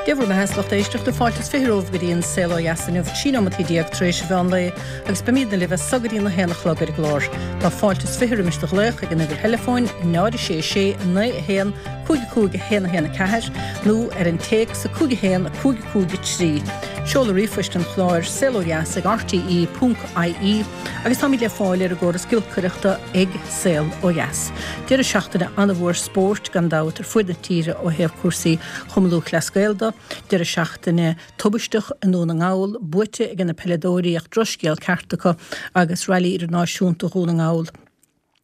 Dia bhur mbeatha, a lucht éisteachta, fáilte is 20 romhaibh go dtí an Saol Ó Dheas inniu, 13 nóimeataí tar éis an mheán lae agus beimidne libh as so go dtí an 1 a chlog ar an gclár. Tá fáilte is 20 roimis do ghlaoch ag an uimhir theileafóin 0 6 6 9 1 5 5 1 1 4 nó ar an téacs 5 1 5 5 3. Seoladh ríomhphoist an chláir, saolodheas ag rte.ie agus táimid le fáil ar an gcóras giolcaireachta ag Saol Ó Dheas. Deireadh seachtaine an-mhór spóirt gan dabht ar fuaid na tíre ó thaobh cúrsaí Chumann Lúthchleas Gael de. Deireadh seachtaine tubaisteach i nDún na nGall, buaite ag na peileadóirí ach drochscéal ceart acu agus Railí Idirnáisiúnta Dhún na nGall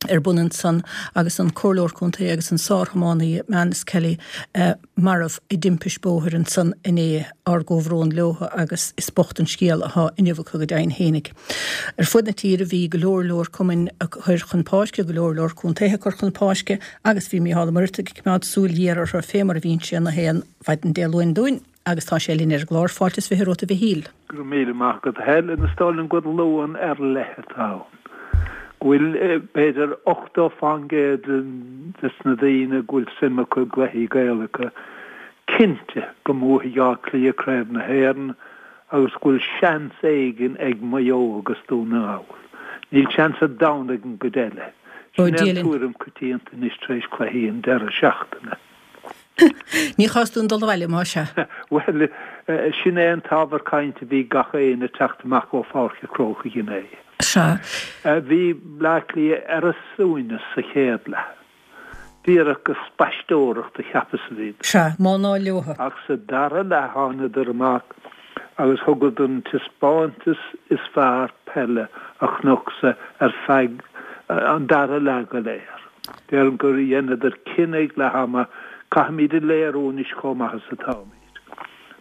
ar bun ansan agus an Comhairleoir Contae agus an sár-thiománaí Manus Kelly marbh i dtimpist bóthair ansan inné. Ár gcomhbhrón leo agus is bocht an scéal athá inniu acu go deimhin fhéinig. Ar fuaid na tíre bhí go leor leor cumainn ag cur chun páirce, go leor leor contaetha ag cur chun páirce agus bhí Mícheál Ó Muircheartaigh ag coimeád súil ghéar orthu fé mar a bhíonn sé na haon mhaidin Dé Luain dúinn agus tá sé linn ar an gclár. Fáilte is 20 romhat a Mhichíl. Go raibh míle maith agat a Helen. Is dóigh liom gur Luan ar leith atá ann. Go bhfuil b'fhéidir 80% des na daoine go bhfuil suim acu i gcluichí Gaelacha cinnte go mbuafaidh Áth Cliath Craobh na hÉireann agus go bhfuil seans éigin ag Maigh Eo agus Dún na nGall. Níl seans ar domhan ag an gcuid eile. Sin é an tuairim coitianta anois tar éis cluichí an deireadh seachtaine. Ní chás dúinn dul abhaile, más ea. Bhuel, sin é an t-ábhar cainte a bhí ag gach éinne ag teacht amach ó Pháirc an Chrócaigh inné. Sea. Bhí Bleá Cliath ar a suaimhneas sa chéad leath. Díreach ag spaisteoireacht a cheapas a bhíodar. Sea, má ná leotha. Ach sa dara leath thánadar amach agus thugadar an taispeántas is fearr peile a chonacsa ar feadh an dara leath go léir. Déarfainn gur dheineadar cinneadh ag leath ama, caithfimid a léiriú anois chomh maith is atáimid.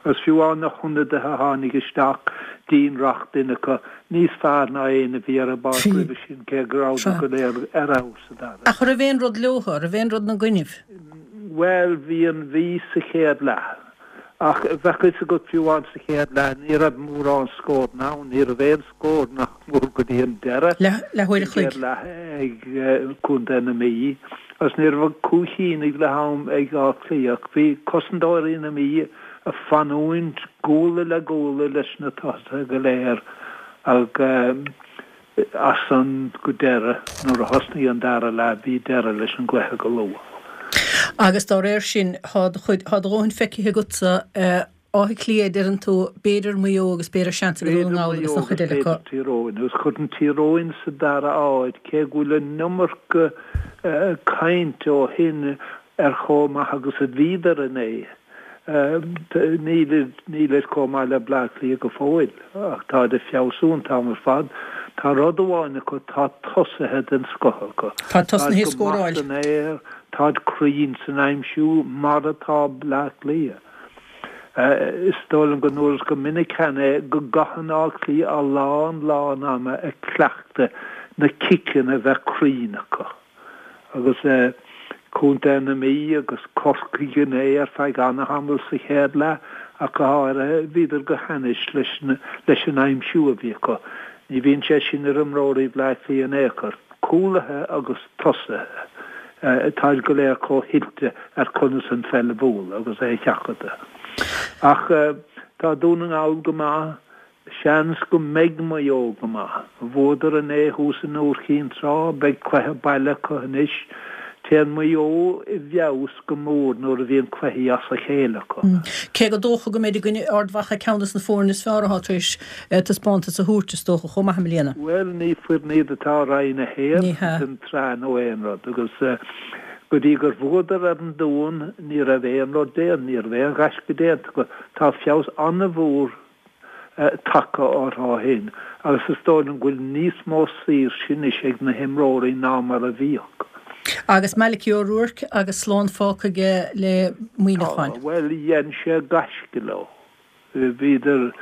Agus fiú amháin na hionadaithe a tháinig isteach, Dean Rock duine acu, níos fearr ná éinne a bhí ar an bpáirc roimhe sin, cé go rabhadar go léir ar fheabhas sa dara. Ach raibh aon rud leotha, raibh aon rud 'na gcoinnibh? Bhuel, bhí an Mhí sa chéad leath. Ach bheadh a fhios agat, fiú amháin sa chéad leath, ní raibh mórán scóranna ann, ní raibh aon scór nach mór go dtí an deireadh Leathuair a sa chloig. chéad leath ag Contae na Mí. Agus ní raibh ach cúilín ag leath am ag Áth Cliath ach bhí cosantóirí na Mí ag fanúint guala le guala leis na tosaithe go léir ach as san go deireadh nuair a thosnaigh an dara leath bhí deireadh leis an gcluiche go luath. Agus dá réir sin tá do chuid, tá do dhóthain feicthe agatsa Áth Cliath, deireann tú, b'fhéidir Maigh Eo agus b'fhéidir seans ag Dún na B'fhéidir nGall Maigh agus Eo an chuid agus eile acu. b'fhéidir Tír Eoghain. Agus chuirfinn Tír Eoghain sa dara háit, cé go bhfuil an iomarca cainte ó shin ar chomh maith agus a bhíodar inné. Nílid, nílid chomh maith le Bleá Cliath go fóill, ach táid ag feabhsú an t-am ar fad. Tá rud amháin acu, tá tosaithe den scoth acu. Tá Táid tosnaithe ag go maith scóráil. san aer, táid cruinn san aimsiú, mar atá Bleá Cliath. Is dóigh liom go ndúras go minic cheana é go gcaitheann Áth Cliath a lán lán ama ag cleachtadh na ciceanna a bheith cruinn acu. Agus Contae na Mí agus Corcaigh inné ar feadh ana-thamaill sa chéad leath ach go háirithe, bhíodar go hainnis leis an aimsiú a bhí acu. Ní bhíonn sé sin ar imreoirí Bhleá Cliath in aon chor. Cúlaithe agus tosaithe, táid go léir chomh hoilte ar conas an pheil a bhualadh agus é a sheachadadh. Ach tá Dún na nGall go maith, seans go mbeidh Maigh Eo go maith. Bhuadar inné thuas i nIúr Chinn Trá, beidh cluiche baile acu anois. Téann Maigh Eo i bhfeabhas go mór nuair a bhíonn cluichí as a chéile acu. Cé gur dócha go mbeidh i gcoinne Ard Mhacha ceann de na foirne is fearr atá tar éis taispeántas a thabhairt, is dócha, chomh maith i mbliana. Bhuel, ní foireann iad atá i Roinn 1 Ní hea. den tsraith nó aon rud agus go dtí gur bhuadar ar an Dún ní raibh aon rud déanta, ní raibh aon ghaisce déanta acu. Tá feabhas an-mhór tagtha orthu ó shin agus is dóigh liom go bhfuil níos mó saoirse anois ag na himreoirí ná mar a bhíodh. Agus Malachy O'Rourke agus slán fágtha aige le Muineachán. Tá, bhuel, dhein sé gaisce leo. Bhíodar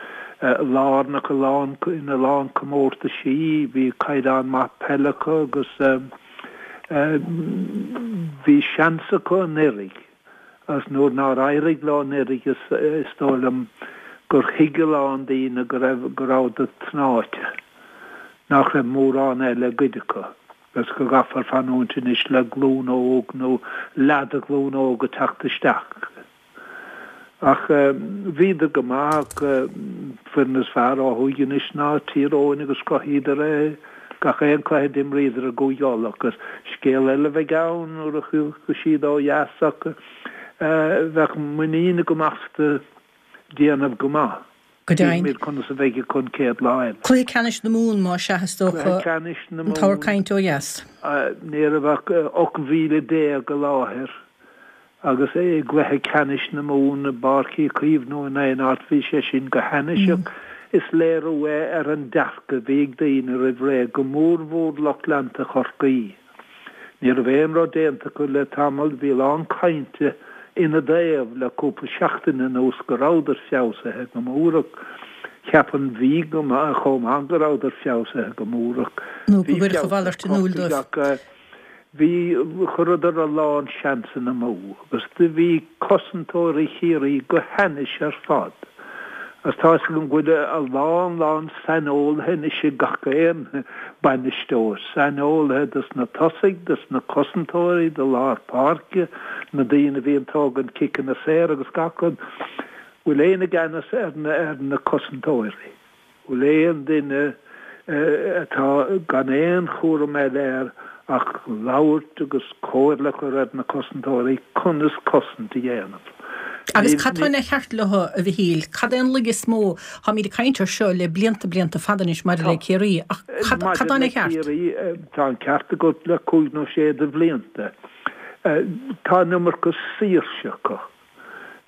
lárnach i lán, ina lán comórtaisí, bhí caighdeán maith peile acu agus bhí seans acu anuraidh agus nuair nár éirigh leo anuraidh is dóigh liom gur thuig a lán daoine go raibh, go rabhadar tnáite, nach raibh mórán eile le goid acu agus go gcaithfear fanúint anois le glúin óg nó leath de ghlúin óg ag teacht isteach. Ach bhíodar go maith ach foireann is fearr ó thuaidh anois ná Tír Eoghain agus chruthaíodar é gach aon cluiche a d'imríodar i gCúige Uladh agus scéal eile a bheidh ann nuair a thiocfaidh siad ó dheas ach bheadh muinín agam astu déanamh go maith. Go deimhin. Cífimid conas a bheidh acu an chéad lá eile. Cluiche Ceannais na Mumhan, más ea, is dócha, Cluiche Ceannais na an t-ábhar cainte ó dheas. Ní raibh ach 18,000 i láthair agus i gCluiche Ceannais na Mumhan i bPáirc Uí Chaoimh nó in aon áit, bhí sé sin go hainnis ach is léiriú é ar an dearcadh a bhí ag daoine roimh ré, go mórmhór lucht leanta Chorcaí. Ní raibh aon rud déanta acu le tamall, bhí a lán cainte ina dtaobh le cúpla seachtain anuas go rabhadar feabhsaithe go mór ach cheap an Mhí go maith chomh maith go rabhadar feabhsaithe go mór ach Nó go gcuirfeadh a mhalairt in iúl dóibh. Ach bhí, chuireadar a lán seansanna amú agus do bhí cosantóirí Chiarraí go hainnis ar fad. Agus tá 'fhios agam go bhfuil a lán lán saineolaithe anois ag gach aon bainisteoir, saineolaithe dos na tosaigh, dos na cosantóirí, do lár páirce, na daoine a bhíonn tógaint ciceanna saor agus gach rud. Bhfuil éinne i gceannas ar na ar na cosantóirí? Bhfuil aon duine atá gan aon chúram eile air ach labhairt agus comhairle a chur ar na cosantóirí conas cosaint a dhéanamh? Agus cad tá ina cheart leo, a Mhichíl? Cad é an laige is mó? Táimid ag caint air seo le blianta, blianta fada anois maidir le Ciarraí, ach cad tá ina cheart? Maidir le Ciarraí, tá an ceart agat le cúig nó sé de bhlianta. Tá an iomarca saoirse acu.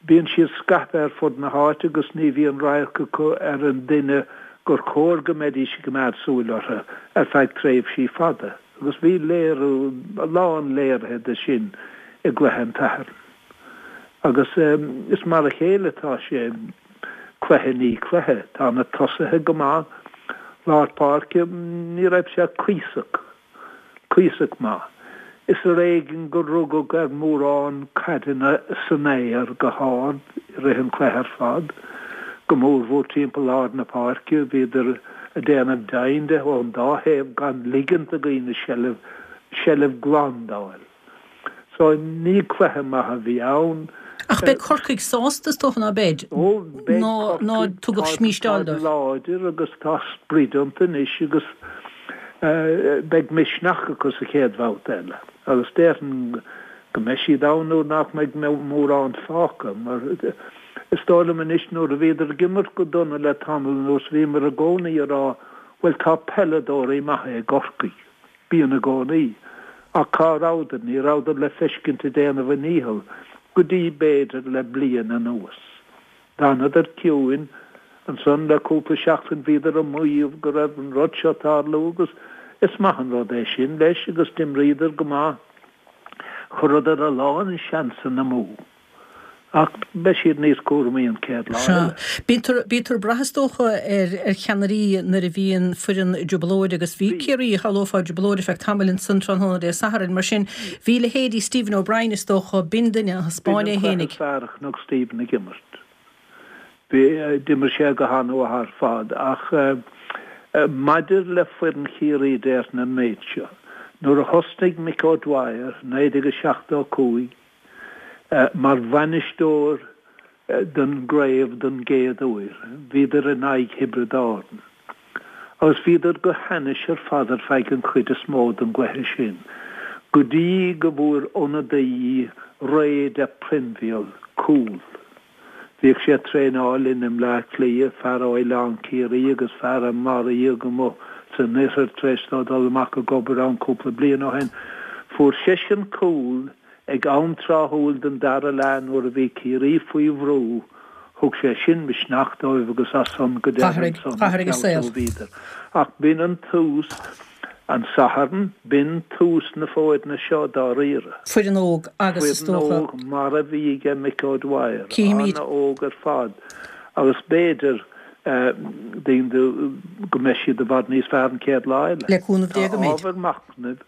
Bíonn siad scaipthe ar fud na háite agus ní bhíonn radharc acu ar an duine gur chóir go mbeidís ag coimeád súil orthu ar feadh tréimhsí fada agus bhí léiriú, a lán léirithe de sin i gcluiche an tSathairn. Agus is mar a chéile atá sé cluiche i ndiaidh cluiche. Tá na tosaithe go maith, lár páirce, ní raibh sé cuíosach. cuíosach maith. Is ar éigean gur rugadh ar mhórán caideanna san aer go hard i rith an chluiche ar fad, go mórmhór timpeall lár na páirce. Bhíodar ag déanamh deimhin de ón dá thaobh gan ligint do dhaoine seilbh, seilbh glan d'fháil. So, ní cluiche maith a bhí ann. Ach beidh Corcaigh sásta, is dócha, ná beidh? Ó, beidh Corcaigh. Ná tugadh smísteáil dóibh. Táid láidir agus tá sprid iontu anois agus beidh misneach acu sa chéad bhabhta eile. Agus déarfainn go mbeidh siad ann nuair nach mbeidh mórán fágtha mar is dóigh liom anois nuair a bhíodar ag imirt go dona le tamall anuas bhíomar i gcónaí ag rá bhuel tá peileadóirí maithe i gCorcaigh. Bíonn i gcónaí. Ach cá rabhadar? Ní rabhadar le feiscint ag déanamh a ndícheall go dtí, b'fhéidir, le bliain anuas. D'fhanadar ciúin. Ansan le cúpla seachtain bhíodar ag maíomh go raibh an rud seo ag tarlú agus is maith an rud é sin, leis, agus d'imríodar go maith. Chuireadar a lán seansanna amú. Ach beidh siad níos cúramaí an chéad lá eile. Sea. Bítear ag brath is dócha ar ar cheannairí nuair a bhíonn foireann i dtrioblóid agus bhí Ciarraí, shamhlófá, i dtrioblóid ar feadh tamaill ansan tráthnóna Dé Sathairn. Mar sin, bhí leithéidí Stephen O'Brien is dócha, b'in duine a thaispeáin é B'in an cluiche fhéinig. is fearr a chonac Stephen ag imirt. Bhí, d'imir sé go han-mhaith ar fad. Ach maidir le foireann Chiarraí déarfainn an méid seo, nuair a thosnaigh Mick O'Dwyer, 1975, Mar bhainisteoir don gcraobh don gcéad uair, bhíodar in aghaidh Thiobraid Árann. Agus bhíodar go hainnis ar fad ar feadh an chuid is mó den gcluiche sin, go dtí go bhfuair ionadaí Ray de Prionbhail cúl. Bhíodh sé ag traenáil linn i mBleá Cliath, fear ó Oileán Ciarraí agus fear a maraíodh amuigh san oirthear tar éis dó dul amach ag obair ann cúpla bliain ó shin. Fuair seisean cúl ag am tráthúil den dara leath nuair a bhí Ciarraí faoi bhrú, thug sé sin misneach dóibh agus as san go deireadh ansan a saol bhíodar. Ach b'in an tús. An Satharn, b'in tús na foirne seo dáiríre. Foireann óg agus is dócha. Foireann óg mar a bhí aige Mick O'Dwyer, Cífimid. an-óg ar fad agus b'fhéidir daoine go mbeidh siad i bhfad níos fearr an chéad lá eile. Le cúnamh Dé go mbeidh. Tá ábhar machnaimh.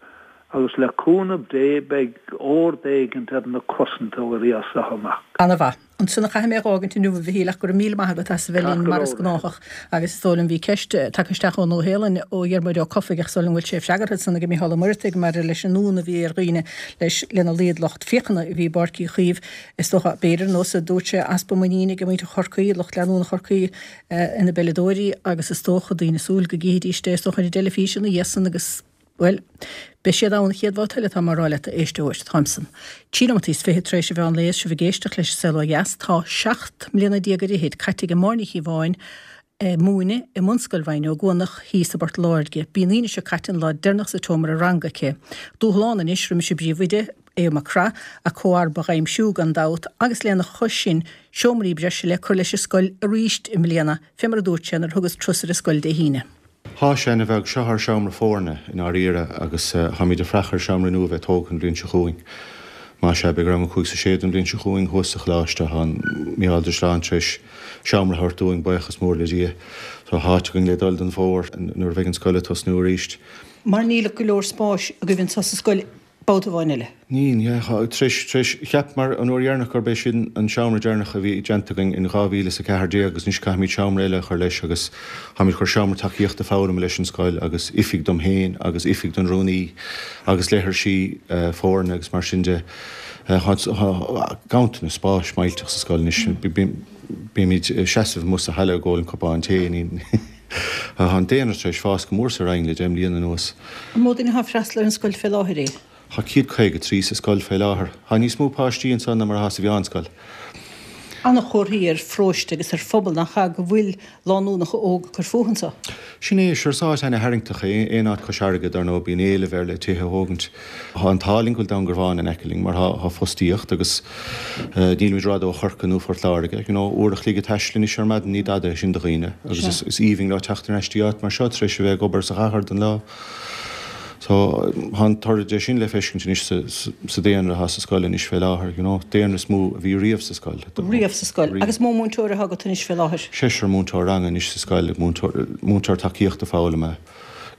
Agus le cúnamh Dé beidh ord éigint ar na cosantóirí as seo amach. Ana-mhaith. Ansin a chaithfidh mé a dh'fhágaint inniu, a Mhichíl, ach go raibh míle maith agat as a bheith linn, mar is gnáthach. Agus is dóigh liom, bhí ceist tagtha isteach ón Nua-Shéalainn ó Dhiarmuid Ó Cofaigh, ach is dóigh liom go bhfuil sé freagartha ansan ag Micheál Ó Muireadhaigh maidir leis an fhonn a bhí ar dhaoine leis lena laghad lucht féachana a bhí i bPáirc Uí Chaoimh. Is dócha, b'fhéidir, ar nós a dúirt sé, easpa muiníne ag muintir Chorcaí, lucht leanúna Chorcaí, ina bpeileadóirí agus is dócha daoine ag súil go gcífidís é, is dócha, ar an dteilifís ina dhiaidh san agus. Bhuel, beidh siad ann an chéad bhabhta eile, tá mé á rá leat, a éisteoir. Táimsean. 23 nóimeataí tar éis an mheán lae is sibh ag éisteacht leis an Saol Ó Dheas. Tá 17 mbliana ar fhichid caite ag Máire Ní Chíobháin ag múineadh i mBunscoil Mhaigh na gCuanach thíos i bPort Láirge. B'í an Aoine seo caite an lá deireanach sa tseomra ranga aici. Dúshlán anois roimis an bpríomhoide, Aodh Mac Craith, a comharba a aimsiú gan dabht agus lena chois sin seomraí breise le cur leis an scoil arís i mbliana, fé mar a dúirt sé nuair a thugas turas ar an scoil Dé hAoine. Thá sé ana bheag. Seo ár seomra foirne, i ndáiríre, agus táimid ag freach ar seomra nua a bheith tógtha an bhliain seo chugainn. Más ea, beidh rang a 5 's a 6 don bhliain seo chugainn thuas sa choláiste. Tá Mícheál de Drisleáin tar éis seomra a thabhairt dúinn, buíochas mór le Dia. Tá áit againn le dul don bhfómhar nuair a bheidh an scoil ag tosnú arís. Mar níl go leor spáis agaibh anseo sa scoil babhta amháin eile. Níl, yeah. Tar éis, tar éis, cheapamar an uair dheireanach gurb é sin an seomra deireanach a bhí déanta againn in 2014 agus anois caithfimid seomra eile a chur leis agus táimid ag cur seomra tacaíochta foghlama leis an scoil agus oifig dom féin agus oifig don rúnaí agus leithrisí foirne agus mar sin de. Tá ganntanas spáis millteach sa scoil anois. Bímid ag seasamh amuigh sa halla ag ól an cupán tae. Tá an daonra tar éis fás go mór sa Rinn le 10 mbliana anuas. An mó duine atá ag freastal ar an scoil fé láthair? Tá 153 sa scoil fé láthair. Tá níos mó páistí anso ná mar atá sa mheánscoil. Ana-chomhartha ar pharóiste agus ar phobal nach ea go bhfuil lánúnacha óga ag cur fúthu anso. Sin é, sure is áit ana-tharraingteach é aon áit cois fharraige, dar ndóigh, bíonn éileamh air le tithe a thógaint. Tá an t-ádh linn go bhfuil Dún Garbhán in aice linn mar tá fostaíocht agus nílimid rófhada ó Chorcaigh nó Phort Láirge. You know, uair a chloig ag taisteal anois ar maidin, ní dada é sin do dhaoine agus is aoibhinn leo teacht ar ais dtí áit mar seo tar éis a bheith ag obair sa chathair don lá. So, tá an toradh de sin le feiscint anois sa daonra atá sa scoil anois fé láthair, you know, daonra is mó a bhí riamh sa scoil. Riamh sa scoil. Agus mó múinteoir atá agat anois fé láthair? Seisear múinteoir ranga anois sa scoil, múinteoir tacaíochta foghlama,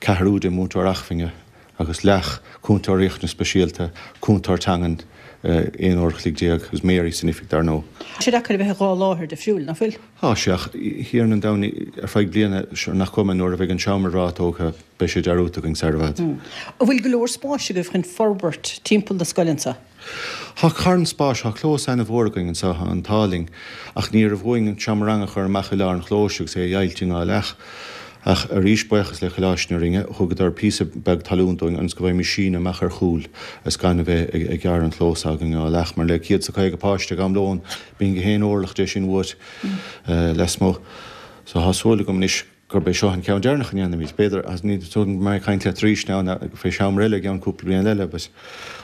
ceathrar oide, múinteoir acmhainne. agus leath cúntóir riachtanas speisialta, cúntóir teangan aon uair a chloig déag agus Mary san oifig dar ndóigh. Tá sé deacair a bheith i dhá láthair difriúil, nach bhfuil? Tá sé, ach a Thiarna an domhain, ar feadh bliana, sure nach cuma, nuair a bheidh an seomra breá tógtha, beidh sé dearúdta againn sar i bhfad. An bhfuil go leor spáis agaibh chun forbairt timpeall na scoile anseo? Thá carn spáis, thá clós ana-mhór againn anso, thá an t-ádh linn, ach ní raibh uainn an seomra ranga a chur amach i lár an chlóis agus é a dheighilt i ndá leath. Ach arís, buíochas le Coláiste na Rinne, thugadar píosa beag talún dúinn ionas go bhfaighimís síneadh amach ar chúl is gan a bheith ag gearradh an chlós s'againn i ndá leath, mar le céad 's a 50 páiste ag am lóin, bíonn gach aon orlach de sin uait lasmuigh. So thá súil agam anois gurb é seo an ceann deireanach a ndéanfaimid. B'fhéidir, ní dóigh liom go mbeidh mé ag caint leat arís now fé sheomra eile i gceann cúpla bliain eile, but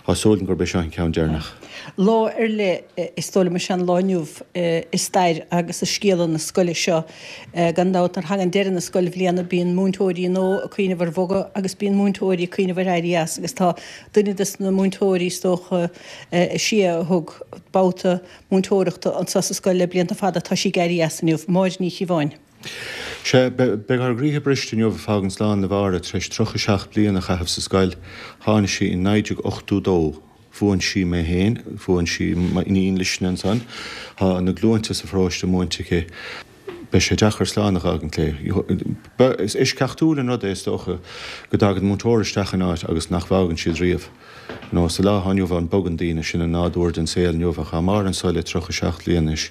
tá súil agam gurb é seo an ceann deireanach. Lá ar leith is dóigh liom is ea an lá inniu i stair agus i scéala na scoile seo. Gan dabht nuair a thagann deireadh na scoilbhliana bíonn múinteoirí nua ag cuimhneamh ar bhogadh agus bíonn múinteoirí ag cuimhneamh ar éirí as agus tá duine des na múinteoirí is dócha is sia a thug babhta múinteoireachta anseo sa scoil le blianta fada, tá sí ag éirí as inniu, Máire Ní Chíobháin. Sea, beidh ár gcroíthe briste inniu ag fágaint slán le Máire tar éis 37 bliain a chaitheamh sa scoil. Tháinig sí in 1982. Mhúin sí mé féin, mhúin sí m'iníon Luisne ansan. Tá na glúinte sa pharóiste múinte aici. Beidh sé deacair slán a dh'fhágaint léi. Is eisceachtúil an rud é, is dócha, go dtagann múinteoir isteach in áit agus nach bhfágann siad riamh. Nó sa lá atá inniu ann bogann daoine, sin an nádúr den saol inniu ach tá Máire anso le 37 bliain anois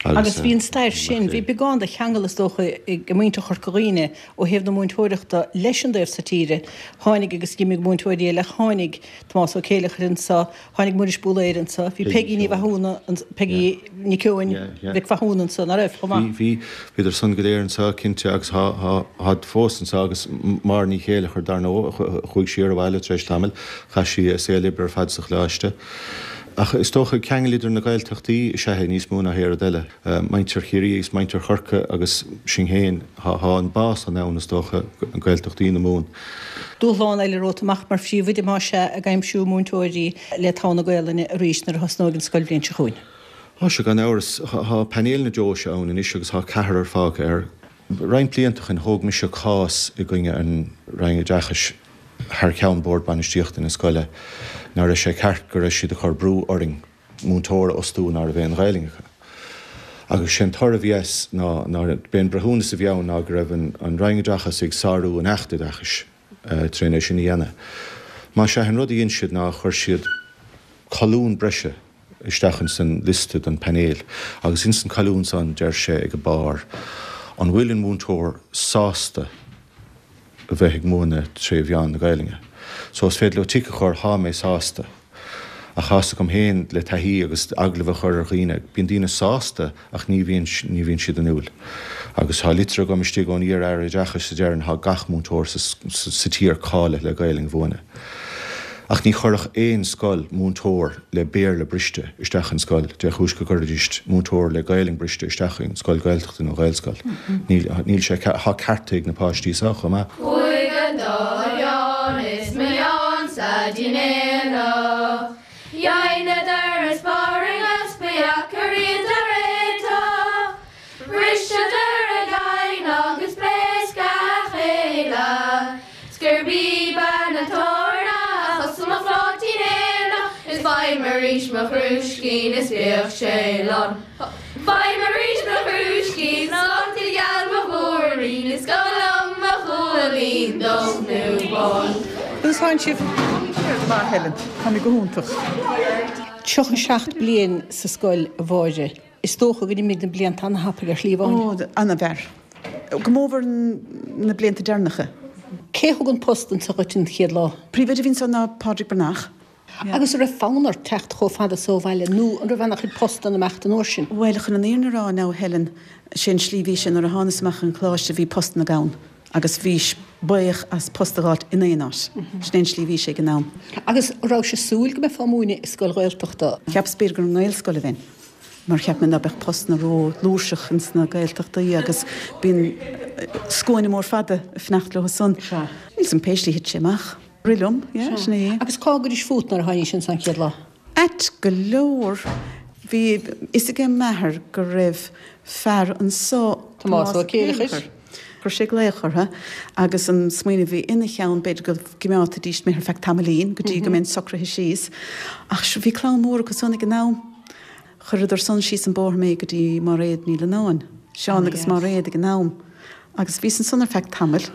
agus. Agus bhí an stair sin, bhí beagán de cheangal is dócha ag muintir Chorca Dhuibhne ó thaobh na múinteoireachta leis an dtaobh so tíre. Tháinig agus d'imigh múinteoirí eile, tháinig Tomás Ó Céileachair anso, Tháinig Muiris Búlaeir anso. Bhí Peigí Ní Mhathúna, Peigí Nic Eoin Mhic Mhathúna anso, ná raibh, chomh maith? Bhí, bhí. Bhíodar san go léir anso, cinnte, agus thá, thá, tháid fós anso agus Máire Ní Chéileachair, dar ndóigh, chuaigh sí ar abhaile tar éis tamaill. Chaith sí a saol oibre ar fad sa Choláiste. Ach is dócha, ceangal idir na Gaeltachtaí is ea é níos mó ná aon rud eile. Muintir Chiarraí agus muintir Chorcaí agus sinn féin, thá an bá san ann, is dócha, Gaeltachtaí na Mumhan. Dúshlán eile romhat amach mar phríomhoide más ea, ag aimsiú múinteoirí le togha na Gaolainne arís nuair a thosnóidh an scoilbhliain seo chugainn. Tá sé, gan amhras. Thá painéal na deoise ann anois agus thá ceathrar fágtha air. Roinnt blianta ó shin thóg mise cás i gcoinne an Roinn Oideachais. thar ceann Bord Bainistíochta na scoile ná raibh sé ceart go raibh siad ag cur brú orainn múinteoir a fhostú ná raibh aon Ghaelainn acu. Agus sé an toradh a bhí as ná, ná, b'é an breithiúnas a bhí ann ná go raibh an, an Roinn Oideachais ag sárú an Acht Oideachais trén é sin a dhéanamh. Más ea, an rud a dhein siad ná chuir siad colún breise isteach ins an liosta don painéal agus ins an colún san deir sé ag a barr an bhfuil an múinteoir sásta a bheith ag múineadh tré mheán na Gaelainne. So is féidir leo tic a chur, thá mé sásta. Ach tá's agam féin le taithí agus agallamh a chur ar dhaoine, bíonn daoine sásta ach ní bhíonn, ní bhíonn siad inniúil. Agus tá litir agam istigh ón iar-Aire Oideachais a deireann thá gach múinteoir sa, sa tír cáilithe le Gaelainn a mhúineadh. Ach ní chuirfeadh aon scoil múinteoir le Béarla briste isteach in scoil, dé chúis go gcuirfidís múinteoir le Gaelainn briste isteach in scoil Gaeltachta nó Ghaelscoil. Níl, níl sé, thá cearta ag na páistí so chomh maith. Chuaigh an dá Sheán is mo Sheán-sa dtí'n aonach. Dheineadar a sparing 's ba dheacair iad a réiteach. Bhriseadar a gcaighean agus phléasc a chéile. 'S gurb í bean an tábhairne a chosain mo phláitín aonach is faighim arís mo chrúiscín is bíodh sé lán. Faighim arís mo chrúiscín, sláinte gheal mo mhúirín, is cuma liom mo chuaillín dubh nó bán. Conas tánn sibh? Go maith, Helen. Tá mé go hiontach. 37 bliain sa scoil, a Mháire. Is dócha gur imigh na blianta ana-thapaidh ar shlí amháin. Ó, ana-mhear. Go mór mhór na blianta deireanacha. Cé a thug an post anso dhuit an chéad lá? Príomhoide a bhí anso ná Pádraig Breathnach. Agus an raibh fonn ort teacht chomh fada so ó bhaile nó an raibh ana-chuid postanna amach an uair sin? Bhuel, chun an fhírinne a rá now, Helen, sé an slí bhí sé nuair a thánas amach an choláiste bhí postanna gann agus bhís buíoch as post a dh'fháilt in aon áit. Sin é an slí bhí sé ag an am. Agus an rabhais ag súil go mbeifeá ag múineadh i scoil Ghaeltachta? Cheapas b'fhéidir gur i nGaelscoil a bheinn mar cheap mé ná beadh postanna ró fhlúirseach ins na Gaeltachtaí agus bíonn scuaine mór fada ag fanacht leo san. Sea. Níl 's a'm pé slí thit sé amach. Rith liom, yeah, sin é. Agus cá gcuiris fút nuair a tháinís anso an chéad lá? Ait go leor, bhí fhios age m'athair go raibh fear anso, Tomás Ó Céileachair. Chuir sé glaoch orthu agus an smaoineamh a bhí ina cheann, b'fhéidir go gcimeádfaidís mé ar feadh tamaillín go dtí go mbeinn socraithe síos. Ach bhí clann mhór acu san ag an am. Chuireadar san síos an bóthar mé go dtí Máiréad Ní Leannáin, Seán agus Máiréad ag an am. Agus bhíos ansan ar feadh tamaill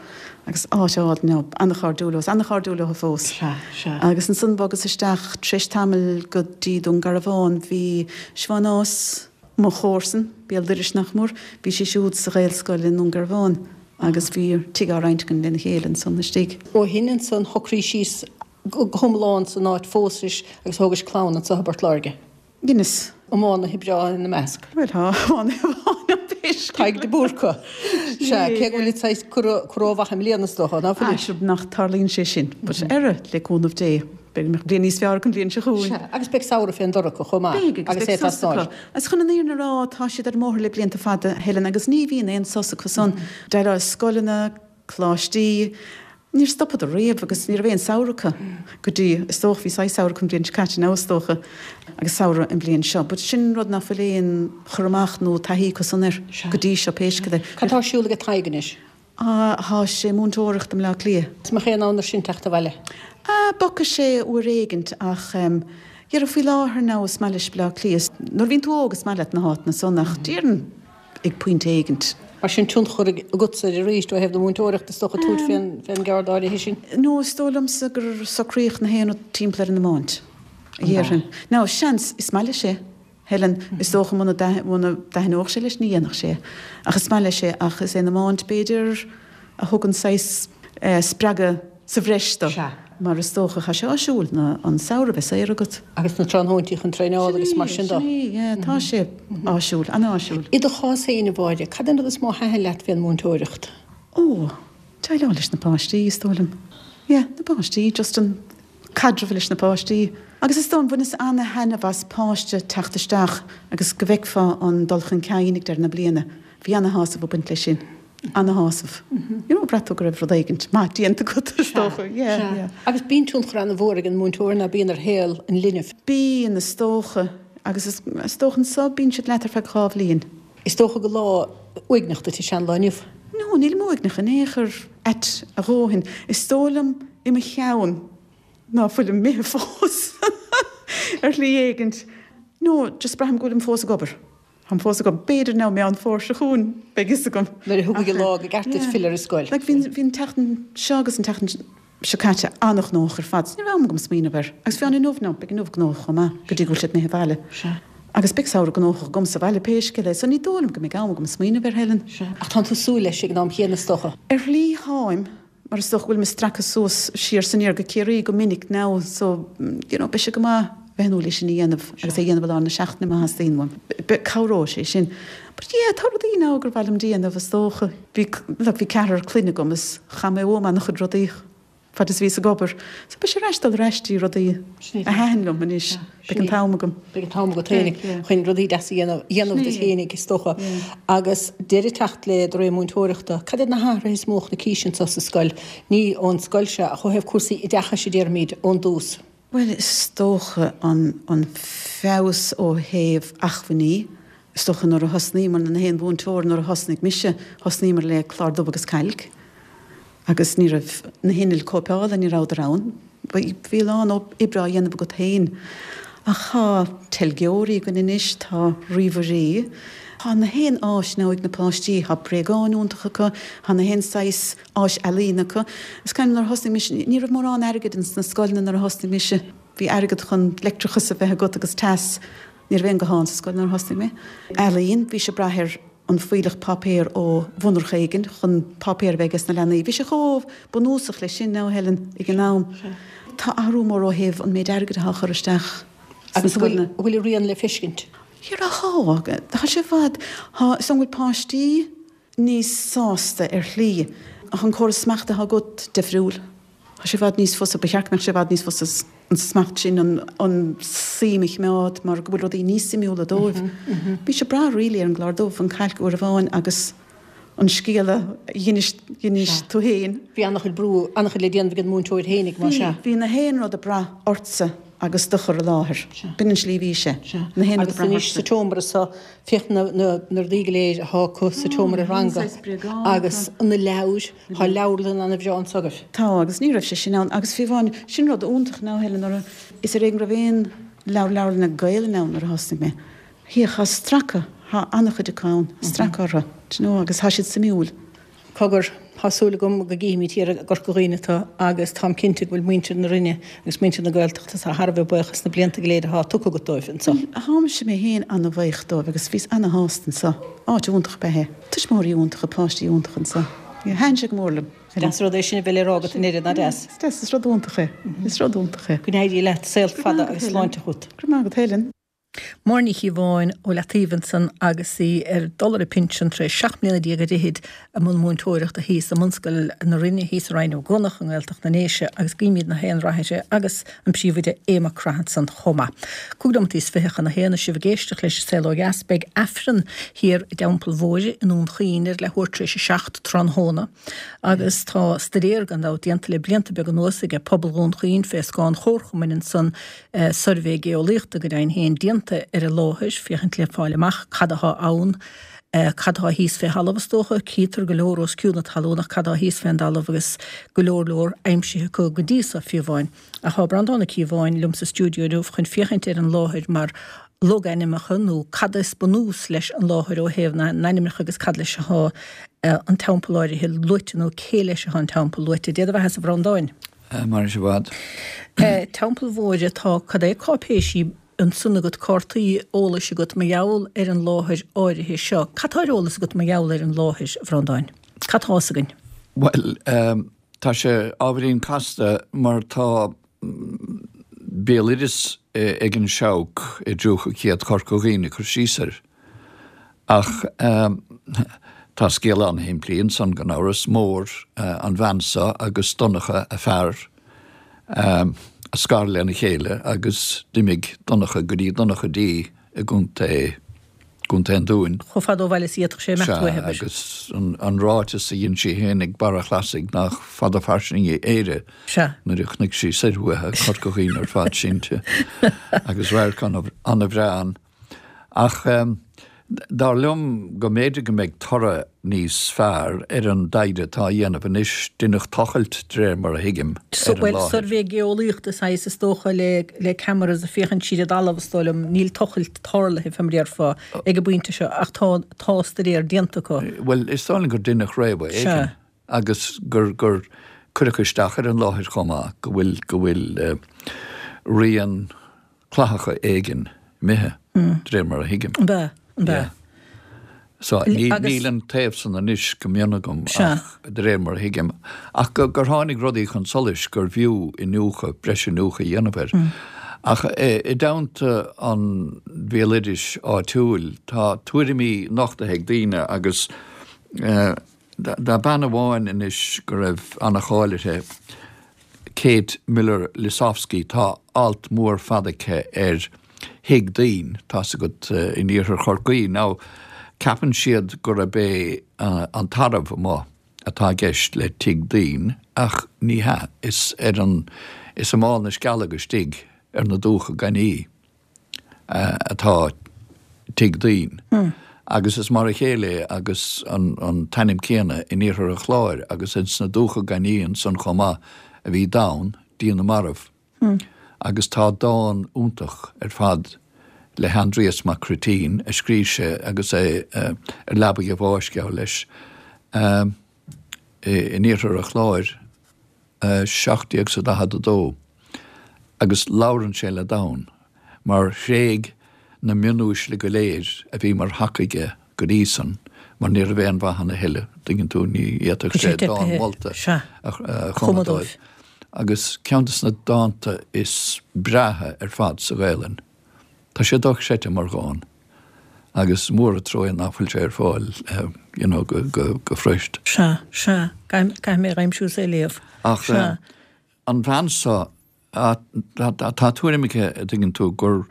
agus áit álainn, now, an-chairdiúil leo, an-chairdiúil leo fós. Sea, sea. Agus ansan bhogas isteach tar éis tamaill go dtí Dún Garbhán, bhí Siobhán Ághas, mo chomharsan, béal dorais nach mór, bhí sí siúd sa Ghaelscoil i nDún Garbhán agus bhí tigh á roinnt againn lena chéile ansan istigh. Ó shin ansan shocraís síos go hiomlán san áit, phósais agus thógais clann anso i bPort Láirge. Dheineas. Iománaithe breá ina measc. Bhuel, tá iománaithe amháin ann pé scéal. Tadhg de Búrca. Sea, cé go bhfuil saghas curtha rómhaith i mbliana is dócha, ná fuil? Sea, nach dtarlaíonn sé sin. But ara, le cúnamh Dé, beidh bliain níos fearr acu an bhliain seo chugainn. Sea, agus beidh samhradh fén dtor acu chomh maith. Beidh, agus beidh sos acu. Agus chun an fhírinne a rá, tá siad ar an mbóthar le blianta fada, a Helen, agus ní bhíonn aon sos acu san. Déileáil scoileanna, coláistí. Níor stopadar riamh agus ní raibh aon samhradh acu go dtí, is dócha, bhí saghas samhradh acu an bhliain seo caite now is dócha agus samhradh an bhliain seo. But sin rud nach bhfuil aon chur amach nó taithí acu san air go dtí seo pé scéal é. Cad tá ar siúl aige Tadhg anois? Ah, tá sé ag múinteoireacht i mBleá Cliath. Is mbeadh aon fhonn air sin teacht abhaile? Ah, bogfaidh sé uair éigint ach em, dhera faoi láthair now is maith leis Bleá Cliath. Nuair a bhíonn tú óg is maith leat na háiteanna san ach déarfainn, ag pointe éigint. Mar sin, tionchar agatsa air arís ó thaobh na múinteoireachta, is dócha, tabhairt fén gceard áirithe sin. No, is dóigh liomsa gur socraíodh na haon rud timpeall ar an iomáint, a dhéarfainn. Now, seans, is maith leis é, Helen, is dócha muna dtaitneodh sé leis ní dhéanfadh sé é. Ach is maith leis é, ach is é an iomáint, b'fhéidir, a thugann saghas spreagadh sa bhreis dó. Sea. Mar is dócha, tá sé áisiúil na an samhradh bheith saor agat. Agus na tráthnóintí chun traenáil agus mar sin dó. Sin é, yeah, tá sé áisiúil, an-áisiúil. I do chás féin, a Mháire, cad é an rud is mó a thaitin leat fén múinteoireacht? Ó, déileáil leis na páistí, is dóigh liom. Yeah, na páistí, just an caidreamh leis na páistí. Agus is dóigh liom, bhaineas ana-thaitneamh as páiste teacht isteach agus go bhfeicfeá an dul chun cinn ag deireadh na bliana. Bhí ana-shásamh ag baint leis sin. Ana-shásamh. You know, bhraith tú go raibh rud éigint maith déanta agat, is dócha. Yeah, yeah. Agus bíonn tionchar ana-mhór ag an múinteoir, ná bíonn, ar shaol an linbh? Bíonn, is dócha. Agus is dócha anso, bíonn siad leat ar feadh 2 bhliain. Is dócha gur lá uaigneach duit is ea an lá inniu? No, nílim uaigneach in aon chor, ait a dhóthain. Is dóigh liom. i mo cheann ná fuilim imithe fós ar shlí éigint. No, just braithim go bhfuilim fós ag obair. Táim fós ag obair. B'fhéidir now Meán Fómhair seo chugainn beidh fhios agam. Nuair a thiocfaidh an lá go gceart duit filleadh ar an scoil. Like bhí bhí an tseachtain seo agus an tseachtain seo caite an-ghnóthach ar fad so ní raibh am agam smaoineamh air. Agus fiú inniu now beidh inniu gnóthach chomh maith go dtí go bhfuil siad imithe abhaile. Sea. Agus beidh samhradh gnóthach agam sa bhaile pé scéal é so ní dóigh liom go mbeidh am agam smaoineamh air Helen. Sea. Ach tánn tú súil leis ag an am chéanna is dócha. Ar shlí táim. Mar is dócha go bhfuil mé ag stracadh suas siar 's aniar go Ciarraí go minic now so you know beidh sé go maith bheith in úil é sin a dhéanamh agus é a dhéanamh i lár na seachtaine má theastaíonn uaim. Cabhróidh sé sin. But yeah tá rudaí now gur mhaith liom déanamh is dócha. Bhí look bhí ceathrar clainne agam is chaith mé uaim an-chuid rudaí fad is bhíos ag obair. So beidh sé ar ais dul ar ais dtí rudaí a thaitin liom anois. Beidh an t-am agam. Beidh an t-am agat féinig chun rudaí deasa a dhéanamh, dhéanamh duit féinig, is dócha. Agus deireadh ag teacht le do ré múinteoireachta, cad iad na hathruithe is mó a chonaicís anseo sa scoil? Ní ón scoil seo, ach ó thaobh cúrsaí oideachais a déarfaimid, ón dtús. Bhuel, is dócha an, an feabhas ó thaobh acmhainní. Is dócha nuair a thosnaíomar, na haon mhúinteoir nuair a thosnaigh mise, thosnaíomar le clár dubh agus cailc. Agus ní raibh na hinnill cóipeála, ní rabhadar ann. Bhí a lán oibre á dhéanamh agat féin. Ach tá teilgeoirí againn anois, tá ríomhairí, tá na haon áis now ag na páistí, tá bréagáin iontacha acu, tá na haon saghas áis ealaíne acu. Is cuimhin nuair a thosnaigh mise, ní raibh mórán airgid ins na scoileanna nuair a thosnaigh mise. Bhí airgead chun leictreachas a bheith agat agus teas. Ní raibh aon ghuthán sa scoil nuair a thosnaigh mé. Ealaín, bhí sé ag brath ar an fuílleach páipéir ó mhonarcha éigin chun páipéar a bheith ages na leanaí. Bhí sé chomh bunúsach leis sin now Helen ag an am. Tá athrú mór ó thaobh an méid airgid atá á chur isteach sna Agus scoileanna. an bhfuil a rian le feiscint? Dhera tá. Tá sé i bhfad. Tá, is dóigh go bhfuil páistí níos sásta ar shlí. Tá an córas smachta atá agat difriúil. Tá sé i bhfad níos fusa, ba cheart go mbeadh sé i bhfad níos fusa an smacht sin, an suim a choimeád mar go bhfuil rudaí níos suimiúla dóibh. Bhí sé breá really ar an gclár dubh, an cailc uair amháin agus an scéal a d'inis, d'inis tú féin. Bhí an-chuid brú, an-chuid le déanamh ag an múinteoir fhéinig, más ea. Bhí, bhí na haon rud ag brath ortsa agus do chur i láthair. B'in an tslí a bhí sé. Na haon rud ag brath ortsa. Agus anois sa tseomra so, féach na, na, na rudaí go léir atá acu sa tseomra ranga agus na leabhair. Tá leabharlann ana-bhreá anso agaibh. Tá, agus ní raibh sé sin ann. Agus fiú amháin, sin rud iontach now Helen, nuair a, is ar éigean go raibh aon leabhar leabharlainne Gaelainne ann nuair a thosnaigh mé. Féach, tá stracadh, tá an-chuid acu ann, stracadh orthu, do you know, agus tá siad suimiúil. Cogar, tá súil agam go gcífimid thiar i gCorca Dhuibhne tú agus táim cinnte go bhfuil muintir na Rinne agus muintir na Gaeltachta thar a bheith buíoch as na blianta go léir atá tugtha agat dóibh anso. Bhuel, táimse mé féin ana-bhuíoch dóibh agus bhíos ana-shásta anso. Áit iontach ab ea é. Tuismitheoirí iontacha, páistí iontacha anso. Thaitin sé go mór liom. Is deas an rud é sin a bheith le rá agat a Neria, nach deas? Is deas, is rud iontach é. Is rud iontach é. Go n-éirí leat, saol fada agus sláinte chugat. Go raibh maith agat Helen. Máire Ní Chíobháin ó Leataobh ansan agus í ar dul ar a pinsean tar éis 17 mbliana ar fhichid i mbun múinteoireachta thíos i mBunscoil na Rinne thíos i Rinn Ó gCuanach i nGaeltacht na nDéise agus guímid na haon rath uirthi agus an príomhoide Aodh Mac Craith ansan chomh maith. 25 nóimeataí chun a haon is sibh ag éisteacht leis An Saol Ó Dheas. Beidh Aifreann thiar i dTeampall Mhóire i nDún Chaoin ar leathuair tar éis a 7 tráthnóna agus tá staidéar gan dabht déanta le blianta beaga anuas aige pobal Dhún Chaoin fé scáth an Chomharchumainn ansan, suirbhé geolaíochta go deimhin féin déanta ar an láthair féachaint le fáil amach cad athá ann. Cad atá thíos fé thalamh is dócha? Cítear go leor os cionn na talún ach cad atá thíos fén dtalamh agus go leor leor aimsithe acu go dtí so fiú amháin. Ach tá Breandán Ó Cíobháin liom sa stiúideo inniu chun féachaint ar an láthair mar logainmneacha nó cad is bunús leis an láthair ó thaobh na n-ainmneacha agus cad leis atá an teampall áirithe luaite nó cé leis atá an teampall luaite. Dé do bheatha-sa a Bhreandáin. Mairfidh sé i bhfad. Teampall Mhóire tá cad é cáipéisí ansan agat, cártaí eolais agat mar gheall ar an láthair áirithe seo. Cad tá ar eolas agat mar gheall ar an láthair, a Bhreandáin? Cad tá fhios againn? Bhuel, tá sé ábhairín casta mar tá béaloideas ag an Seabhac i dtríocha céad Chorca Dhuibhne ag cur síos air. Ach tá scéal an-shimplí ansan gan amhras, Mór an bhean seo agus Donncha a fear a scar lena chéile agus d'imigh Donncha go dtí Donncha Dí i gContae gContae an Dúin. Chomh fada ó bhaile is a d'fhéadfadh sé imeacht Sea, uaithi, abair. agus an ráiteas a dhein sí féin ag Barra an Chlasaigh nach fada fairsinge Éire Sea. nuair a chonaic sí soir uaithi, Corca Dhuibhne ar fad sínte agus radharc an-bhreá ann. Ach. Dar liom go mb'fhéidir go mbeidh toradh níos fearr ar an dtaighde atá á dhéanamh anois. Deineadh tochailt, de réir mar a thuigim, ar an Bhuel, láthair. suirbhé geolaíochta saghas is dócha le le cameras ag féachaint siar i dtalamh is dóigh liom. Níl tochailt tarlaithe fé mar a déarfá ag an bpointe seo ach tá tá staidéar déanta acu. Bhuel, is dóigh liom gur deineadh réabadh éigin agus gur gur cuireadh isteach ar an láthair chomh maith go bhfuil go bhfuil rian clathacha éigin imithe, de réir mar a thuigim. An ea? An ea? So, níl an taobh san anois go mion agam ach de réir mar a thuigim. Ach gur tháinig rudaí chun solais gurbh fhiú iniúchadh, breis iniúchadh a dhéanamh air. Ach i dteannta an bhéaloidis áitiúil, tá tuairimí nochtaithe ag daoine agus tá bean amháin anois go raibh ana-cháil uirthi, Kate Miller Lisowski, tá alt mór fada aici ar Thigh Doinn, tá's agat, in iarthar Chorcaí. Now, ceapann siad gurb é an tarbh amuigh atá i gceist le Tigh Doinn, ach ní hea, is ar an, is i Mál na Scealg istigh ar na Dumhcha Gainní. atá Tigh Doinn agus is mar a chéile é agus an t-ainm céanna in iarthar an Chláir agus ins na Dumhcha Gainní ansan chomh maith a bhí Donn, Dia na Marbh. Agus tá dán iontach ar fad le hAindrias Mac Cruitín a scríobh sé agus é ar leabaidh a bháis, geall leis, in iarthar an Chláir. 1742, agus labhrann sé le Donn, mar thréig na mionuaisle go léir a bhí mar thaca aige go dtí san, mar ní raibh aon mhaith ann a thuilleadh, tuigeann tú, ní fhéadfadh sé dán molta a chumadh dóibh. Agus ceann de na dánta is breátha ar fad sa Ghaelainn. Tá sé dochreidte mar dhán agus mór an truaighe ná fuil sé ar fáil you know go go fuirist. Sea, sea, caithfidh mé a aimsiú is é a léamh. Ach Sea. an bhean seo, tá tuairim aici, a dtuigeann tú, gur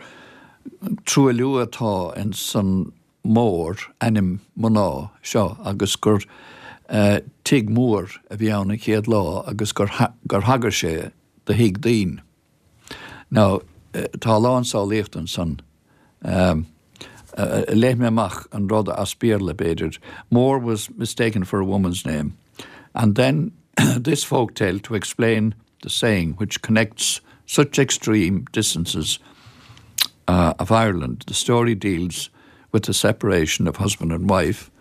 truailliú atá ins an Mór, ainm mná, seo agus gur tigh mór a bhí ann an chéad lá agus gur thagair sé do Thigh Doinn. Now, tá a lán samhlaíochta ansan. Léifidh mé amach an rud as Béarla, b'fhéidir. Mór was mistaken for a woman's name. And then this folk tale to explain the saying which connects such extreme distances uh, of Ireland. The story deals with the separation of husband and wife,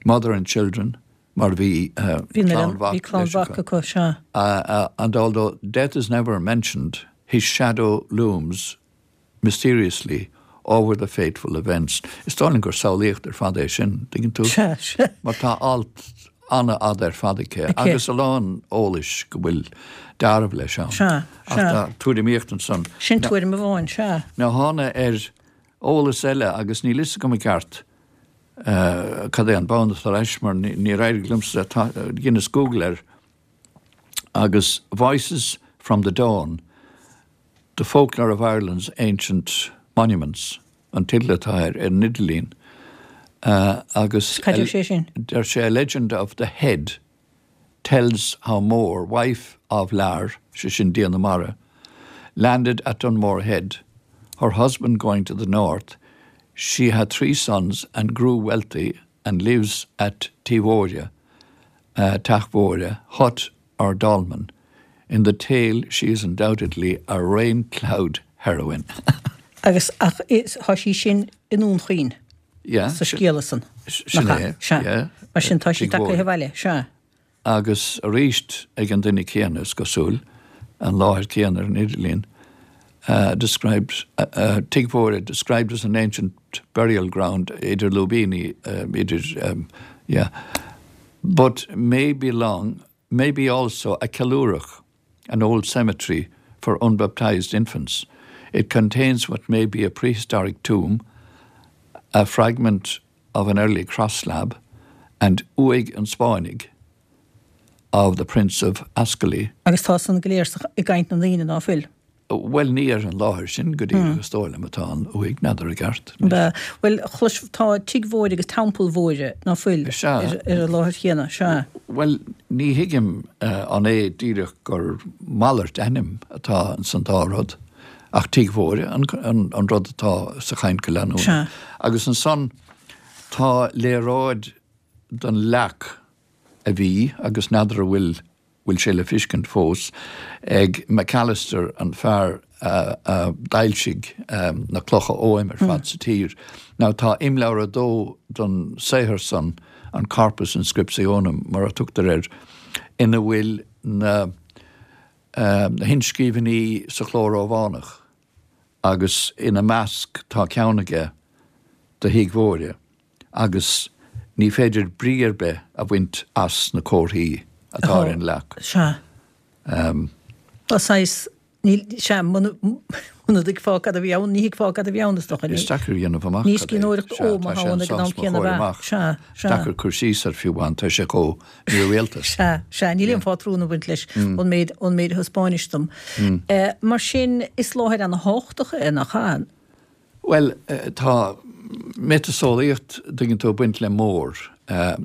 mother and children, mar bhí clann mhac acu, sea. And although death is never mentioned, his shadow looms mysteriously over the fateful events. Is dóigh liom gur samhlaíocht ar fad é sin, tuigeann tú? Sea, sea. Mar tá alt an-fhada ar fad aici agus a lán eolais go bhfuil deáramh leis ann. Sea, sea. Ach tá tuairimíocht ansan. Sin tuairim amháin, sea. Now thána ar eolas eile agus níl fhios agam i gceart Cad é an bonn atá leis mar níor éirigh liomsa, dheineas Google air agus Voices from the Dawn, The Folklore of Ireland's Ancient Monuments an teideal atá air ar an idirlíon agus Cad deir sé sin? Deir sé A Legend of the Head tells how Mór, wife of Lar, sé sin Dia na Mara, landed at Dunmore Head, her husband going to the north, she had 3 sons and grew wealthy and lives at Tigh Mhóire, Teach Mhóire, hut or dolmen. In the tale she is undoubtedly a rain cloud heroine. Agus ach tá sí sin i nDún Chaoin. Yeah. Sa scéal san. Sin é. Sea. Yeah. Mar sin tá sí tagtha abhaile. Sea. Agus arís ag an duine céanna, is cosúil, an láthair céanna ar an idirlíon, described, Tigh Mhóire described as an ancient burial ground idir lúibíní, idir, yeah, but may belong, may be also a ceiliúrach, an old cemetery for unbaptized infants. It contains what may be a prehistoric tomb, a fragment of an early cross slab, and uaigh an Spáinnigh of the Prince of Ascoli. Agus tá san go léir i gcaint na ndaoine ná fuil? Bhuel, ní ar an láthair sin go díreach is dóigh liom atá an uaigh, n'fheadar i gceart. Ab ea? Bhuel, chlois, tá Tigh Mhóire agus Teampall Mhóire, ná fuil, Sea. ar an láthair chéanna, sea. Bhuel, ní thuigim an é díreach gur malairt ainm atá ins an dá rud, ach Tigh Mhóire an rud atá sa chaint go leanúnach. Sea. Agus ansan. Tá léaráid den leac a bhí, agus n'fheadar an bhfuil, bhfuil sé le fiscint fós, ag Macalister, an fear a d'fhoilsigh na clocha oghaim ar fad sa tír. Now tá imleabhar 2 den saothar san, an Corpus Inscriptionum mar a tugtar air, ina bhfuil na hinscríbhinní sa chló Rómhánach agus ina measc tá ceann aige do Thigh Mhóire agus ní féidir brí ar bith a bhaint as na comharthaí atá ar an leac. Sea. Tá saghas, níl, sea, muna dtuigfeá cad a bhí ann, ní thuigfeá cad a bhí ann, is dócha. Is deacair a dhéanamh amach cad é. Ní scríbhneoireacht oghaim atá ann ag an am céanna, ab ea? Sea, sea. Deacair cur síos air fiú amháin, tá sé chomh mírialta. Sea, sea, níl aon phátrún ag baint leis ón méid, ón méid a thaispeáinis dom. Mar sin, is láthair ana-thábhachtach é, nach ea? Bhuel, tá miotaseolaíocht, tuigeann tú, ag baint le Mór.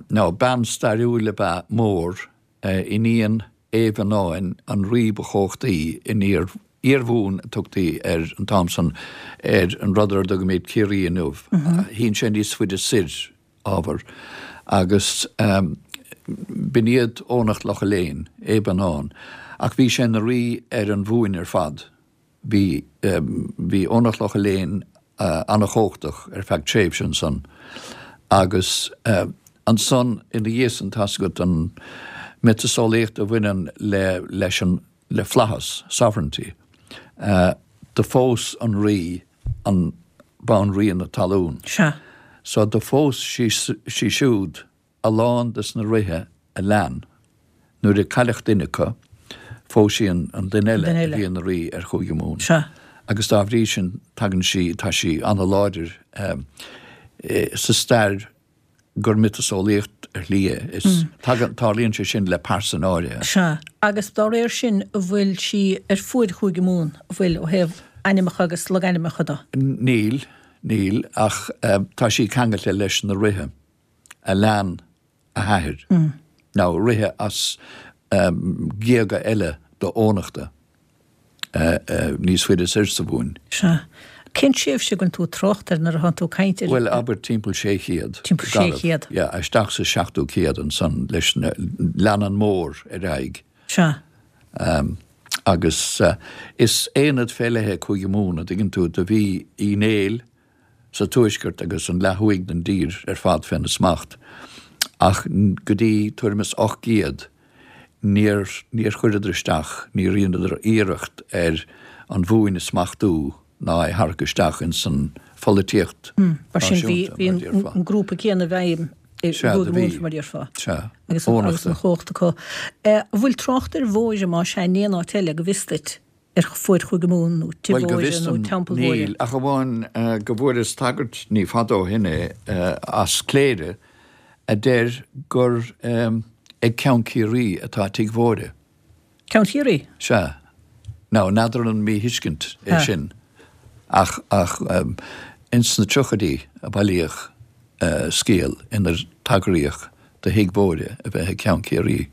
Now, bean stairiúil ab ea Mór, iníon Aodh Mhannáin, an rí ba chumhachtaí in Iar-Mhumhain a tugtaí air an t-am san, ar an rud ar a dtugaimid Ciarraí inniu. Shín sé níos faide soir, áfach, agus b'in iad Eoghanacht Locha Léin, Aodh Manannán, ach bhí sé ina rí ar an Mhumhain ar fad. Bhí, bhí Eoghanacht Locha Léin an-chumhachtach ar feadh tréimhse ansan agus ansan ina dhiaidh san tá's agat an miotaseolaíocht a bhaineann le, leis an, le flaitheas, sovereignty. Do phós an rí an banríon na talún. Sea. So do phós sí, sí siúd a lán des na ríthe a lean. Nuair a cailleadh duine acu, phós sí an duine eile a bhí ina rí ar Chúige Mumhan. Sea. Agus dá bhrí sin tagann sí, tá sí an-láidir sa stair gur miotaseolaíocht ar shlí é. Is tagann, tarlaíonn sé sin le pearsain áirithe. Sea. Agus dá réir sin, an bhfuil sí ar fuaid Chúige Mumhan, an bhfuil, ó thaobh ainmneacha agus logainmneacha de? Níl, níl, ach tá sí ceangailte leis na ríthe. a lean a hathair, nó ríthe as géaga eile d'Eoghanachta níos faide soir sa Mhumhain. Sea. Cén tréimhse a bhfuil tú ag trácht air nuair atánn tú ag caint ar. Bhuel, abair timpeall 600. Timpeall 600. Yeah, isteach sa seachtú céad ansan leis na, leanann Mór ar aghaidh. Sea. Agus is aonad fé leith é Cúige Mumhan, a dtuigeann tú, do bhí Uí Néill, sa tuaisceart agus an leath thuaidh den dtír ar fad féna smacht, ach go dtí tuairim is 800 níor níor chuireadar isteach, níor dheineadar iarracht ar an Mhumhain a smachtú ná é tharrac isteach ins an pholaitíocht Mar sin bhí náisiúnta, bhí mar a déarfá. an grúpa céanna i bhfeidhm i Sea, do gCúige bhí. Mumhan, mar a déarfá. Sea. Agus an agus Eoghanachta. an chumhacht acu. An bhfuil trácht ar Mhóire más ea in aon áit eile, go bhfios duit? ar fuaid Chúige Mumhan nó Tigh Bhuel, go Mhóire bhfios nó dom, Teampall Mhóire. níl, ach amháin go bhfuaireas tagairt ní fada ó shin é as Cléire a deir gur ag Ceann Ciarraí atá Tigh Mhóire. Ceann Chiarraí? Sea. Now, n'fheadar an míthuiscint é sin, ach ach ins na tríochaidí a bailíodh scéal inar tagraíodh do Thigh Mhóire a bheith ag Ceann Ciarraí.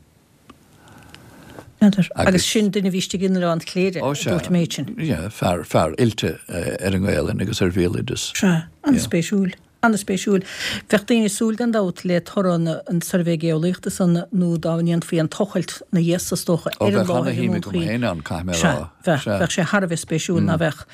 N'fheadar. Agus sin duine a bhí istigh in Oileán Chléire, a dúirt an méid sin. Sea, fear, fear oilte ar an nGaelainn agus ar bhéaloideas. Sea, an-spéisiúil, an-spéisiúil. Bheadh daoine ag súil gan dabht le toradh an tsuirbhé geolaíochta san nó dá ndéanfaí an tochailt ina dhiaidh san is dócha Ó, ar an bheadh láthair i ana-shuim nDún agam Chaoin. féin ann, caithfidh mé a Sea, rá. bheadh, Sea. bheadh sé thar a bheith spéisiúil, ná bheadh?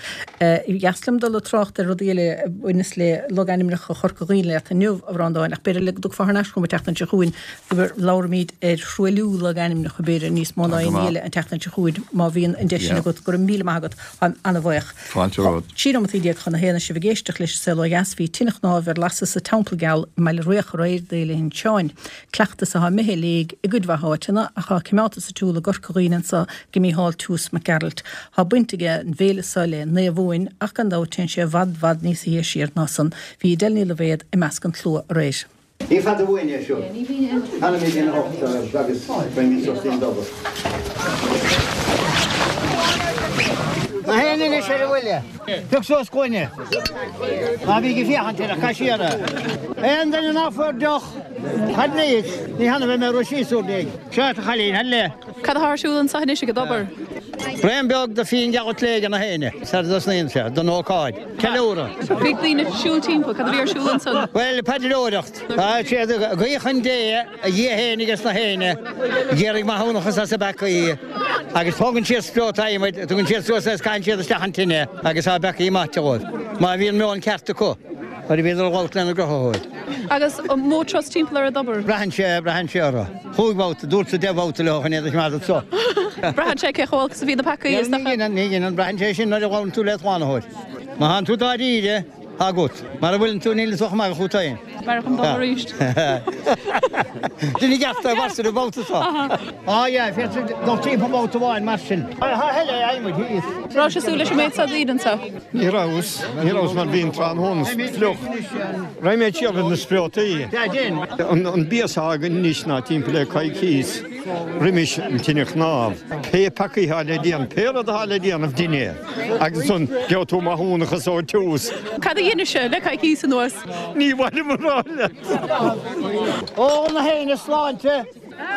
Dheas liom dul ag trácht ar rudaí eile a bhaineas le logainmneacha Chorca Dhuibhne leat inniu, a Bhreandáin, ach b'fhéidir le go dtiocfá thar n-ais chugam an tseachtain seo chugainn go labhraímid ar thruailliú logainmneacha, b'fhéidir, níos mó ná Tá go aon ní maith. eile an tseachtain seo chugainn, má bhíonn an deis sin Yeah. agat. Go raibh míle maith agat. Táim ana-bhaoch. Fáilte romhat. 13 nóimeataí chun a haon is sibh ag éisteacht leis an Saol Ó Dheas. Bhí tine chnámh ar lasadh sa Teampall Geal i mBaile Riach aréir d'Fhéile Uinseann. Cleachtas atá imithe i léig i gcuid mhaith áiteanna ach atá coimeádta sa tsiúl i gCorca Dhuibhne anso ag Mícheál Toose Mac Gearailt. Tá baint ag an bhféile so le Naomh Uain ach gan dabht téann sé i bhfad bhfad níos sia siar ná san. Bhí Edel Ní Loibhéad i measc an tslua aréir. Ní fada uainn é seo. Fanfaimid ina thocht agus beimid suas dtí'n dtobar. Ná haon anois ar an bhuille. Pioc suas gloine. Ná bíg ag féachaint air ach caith siar é. Aon duine ná fuair deoch, fad leis, ní hannamh é mé a rith síos úr ndiaidh. Seo a chailín, fad le. Cad atá ar siúl anseo anois ag an dtobar? Braon beag de fíon geal te ag na héinne sar a dtosnaíonn sé don ócáid. Ceiliúradh. Bhí daoine ag siúl timpeall, cad a bhí ar siúl ansan? Bhuel, paidreoireacht. Tá siad ag guí chun Dé, a Dhia fhéinig is na héinne, ag iarraidh maithiúnachas as a bpeacaí, agus tógann siad spreota adhmaid, tugann siad suas é is caitheann siad isteach an tine agus tá a bpeacaí maite dhóibh, má bhíonn meon ceart acu nuair a bhíodar ag labhairt lena gCruthaitheoir. Agus an mó turas timpeall ar an dtobar? Braitheann sé, braitheann sé orthu. Chúig bhabhta, dúrtsa deich mbabhta leo chun iad a choimeád anso. Braitheann sé cé chomh holc is a bhí na peacaí, is dócha. Ní dheineann, ní dheineann. Braitheann sé sin nuair a ghabhann tú le Slánaitheoir. Má thánn tú dáiríre, tá agat. Mara bhfuileann tú, níl tú ach ag magadh fút féin. B'fhearr dhom dul arís. Duine ceart é mar sin an babhta seo. Á yeah, féadfaidh dul timpeall babhta amháin mar sin. Tá eile adhmaid thíos. Raibh sé súil leis an méid seo daoine anseo? Ní rabhas, ní rabhas mar bhí an tráthnóna fliuch. Raghaidh mé siar ar na spreotaí. An bia atá againn anois ná timpeall le coicíos roimis an tine chnámh. Pé peacaí atá le déanamh, pé rud atá le déanamh, dein é. Agus ansan gheobhaidh tú maithiúnachas ó tús. Cad a dheinis-se le coicíos anuas? Ní mhaith liom a rá leat. Ól na héinne sláinte,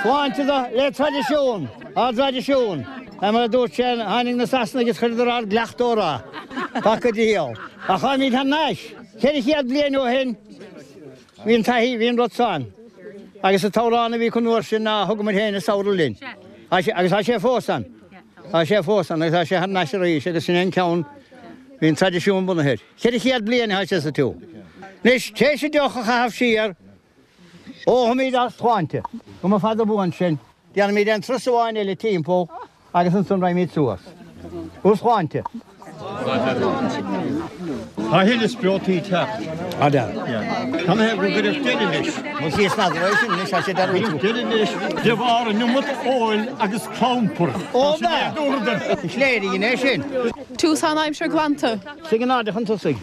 sláinte do le traidisiún, ár dtraidisiún. Mar a dúirt sé, tháinig na Sasanaigh is chuireadar ár gcleachtadh orainn. Paca diabhal. Ach táimid thar n-ais. 400 bliain ó shin bhí an taithí, bhí an rud seo ann. Agus an t-amhrán a bhí acu an uair sin ná Thugamair Féin an Samhradh Linn. Agus tá sé fós ann. Tá sé fós ann agus tá sé thar n-ais arís agus sin é an ceann, bhí an traidisiún bunaithe air. 400 bliain atá sé sa tsiúl. Anois, tar éis an deoch a chaitheamh siar, ólfaimid ár sláinte. Go mba fada buan sinn. Déanfaimid aon turas amháin eile timpeall agus ansan raghaimid suas. Bhur sláinte. Tá a thuilleadh spreotaí ag teacht. Tá dear. Tá mé ag go gcuirfeadh deireadh leis. Mo chíos n'fheadar é sin anois, tá sé dearúdta. Cuireadh deireadh leis de bharr an iomad óil agus clampair. Ó b'ea! Is léir a dhein é sin. Tús an aimsir glanta. Suigh in airde chun tosaigh.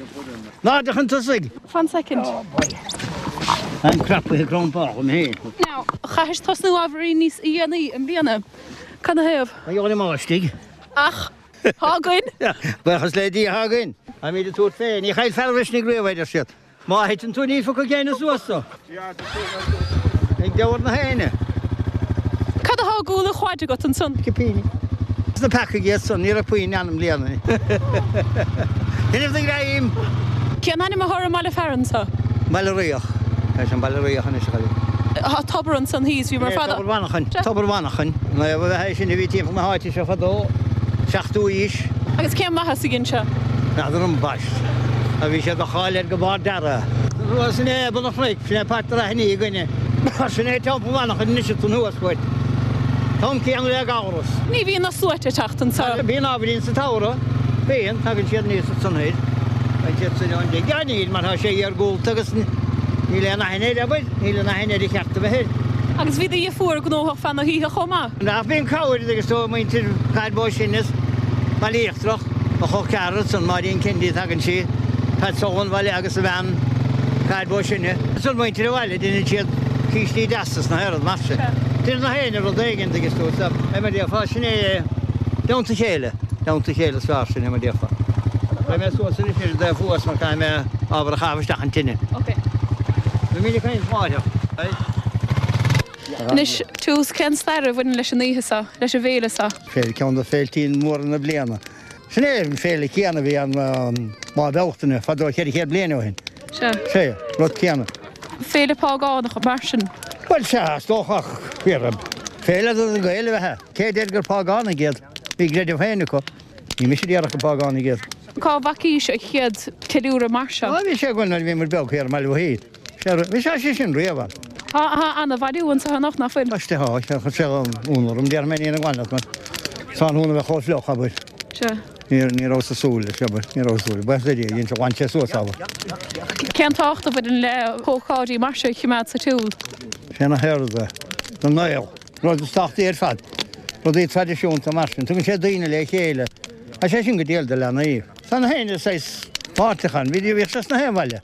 In airde chun tosaigh! Fan soicind. Táim crapaithe crompach agam féin. Now, chaithis tosnú ábhairín níos dhéanaí i mbliana. Cad 'na thaobh? Mar gheall ar an mbáistigh. Ach tá againn. Buíochas le Dia, tá againn. Táimid ag tabhairt fé. Ní chaillfear a mhisnigh riamh, a deir siad. Má thiteann tú ní phiocfaidh éinne suas tú. Ag deabhar na héinne. Cad atá i gcúl an quaid agat ansan? Cipíní. Is na peacaigh iad san, ní raibh puinn ann i mbliana. Deineadh do ghreim! Cén ainm atá ar an mbaile fearainn so? Baile Riach. Tá sé an Baile Riach anois a chailín. Tá tobar ansan thíos, bhíomar fad. Tobar Mhanchain. Tobar Mhanchain. Naomh ab ea é sin a bhí timpeall na háite seo fadó, 7ú aois. Agus cén maitheas a dhein sé? N'fheadar ambaist. A bhí sé de cháil air go barr deartha. Sin é Bun an Chnoic, sin é Páirc na Raithní againne. Sin é Teampall Mhanchain anois ansan thuas uait. Tom céanna le Gabhras. Ní bhíonn na sluaite ag teacht anso. Bíonn ábhairín sa tsamhradh. Bíonn. Tagann siad aníos ansan thoir. Tagann siad soir ón dtigh. Níl, mar tá sé iargúlta agus níl aon aithne air, abair. Níl an aithne air a cheart a bheith air. Agus bhí do dheirfiúr gnóthach feadh na hoíche chomh maith. Ach bíonn cabhair agus tá muintir Cathair Bó Sine is Baile Íochtarach, mo chol ceathrar ansan, Máirín Kennedy tagann sí, Pat Sullivan bhaile agus a bhean Cathair Bó Sine. Ansan muintir an bhaile, deineann siad cístí deasa sna haon rud mar sin. Deineann na héinne rud éigin agus tú sa, é mar déarfá, sin é dteannta a chéile, dteannta a chéile is fearr sin é mar déarfá. Beidh mé suas anois ar an dtaobh thuas mar caithfidh mé ábhar a chaitheamh isteach an tine. Ok. Beimid ag caint láithreach. Anois, tús, cén stair a bhaineann leis an oíche seo, leis an bhféile seo? Féile, ceann de féiltí móra na bliana. Sin é an féile céanna a bhí ann Lá Bealtaine fadó 400 bliain ó shin. Sea. Sea, rud céanna. Féile págánach, mar sin? Bhuel, sea, is dócha, ach féile do na Gaeil ab ea. Cé a deir gur págánaigh iad? Bhí a gcreideamh féin acu. Ní mise a déarfadh gur págánaigh iad. Cá bhfacaís an chéad ceiliúradh mar seo? Bhí sé againn nuair a bhí muid beag thiar i mBaile Mhichíl. Bhí sé sin riamh ann. Tá ana-bhailiú anseo anocht, nach bhfuil? Tá, tá sé ionadh orm, déarfaidh mé ní an ghainneamh mar tráthnóna a bheith chomh fliuch, abair. Sea. Ní rabhas ag súil leis, abair, ní rabhas ag súil. Buíochas le Dia, dhein sé, ghlan sé suas, abair. Cén tábhacht a bhaineann le hócáidí mar seo a choimeád sa tsiúl? Sé na hAirde, na nGael. Rud is tábhachtaí ar fad, rudaí traidisiúnta mar sin, tugann sé daoine le chéile. Tá sé sin go diail do leanaí. Tá na héinne saghas páirteach ann. Bhíodh sé sna haon bhaile.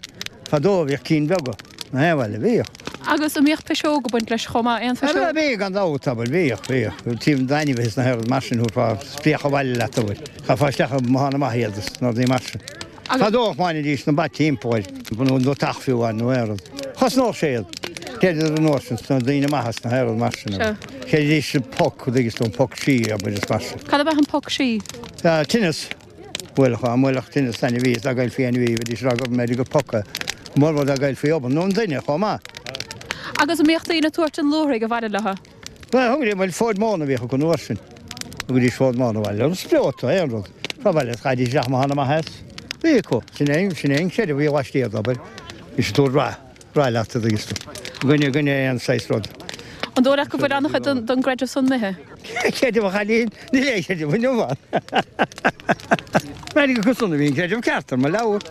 Fadó bhíodh cinn beaga sna haon bhaile. Bhíodh. Agus an mbíodh piseog ag baint leis chomh maith? Aon phiseog? Bhíodh gan dabht, abair. Bhíodh, bhíodh. Taobh d'ainmhithe sna haon rud mar sin, thabharfá spréach abhaile leat, abair. Chaithfeá isteach i mbothán amach iad is na rudaí mar sin. Fadó choimeádaidís na ba timpeall air, nó deatach fiú amháin nó aon rud. Chosnódh sé iad. Chreideadar an uair sin sna daoine maithe sna haon rud mar sin. Chreididís sa phoc, an dtuigeann tú, an poc sí, abair, is mar sin. Cad ab ea an poc sí? Tinneas. Bhuailfeadh, dá mbuailfeadh tinneas ainmhí is dá gcaillfí ainmhí, bheidís ag rá gur b'fhéidir gur poc é. Mórmhór dá gcaillfí obann, nó an duine chomh maith. Agus an mbíodh daoine ag tabhairt an luaithrigh abhaile leo? Bhuel, thugaidís, bhuel, fód móna a bhíodh acu an uair sin. Thugaidís fód móna abhaile leo, spreota, aon rud. Fá bhaile is chaithidís isteach amach ana maith as. Bhí acu. Sin é, sin é an creideamh a bhí laistiar d'obair. Bhí siad ag tabhairt rath, rath leat, a dtuigeanns tú. I gcoinne, i gcoinne aon saghas rud. An dóigh leat go bhfuil an-chuid den, den gcreideamh san imithe? Creideamh a chailín, níl aon chreideamh inniu ann. B'fhéidir gur acusan a bhí an creideamh ceart ar mo leabhar,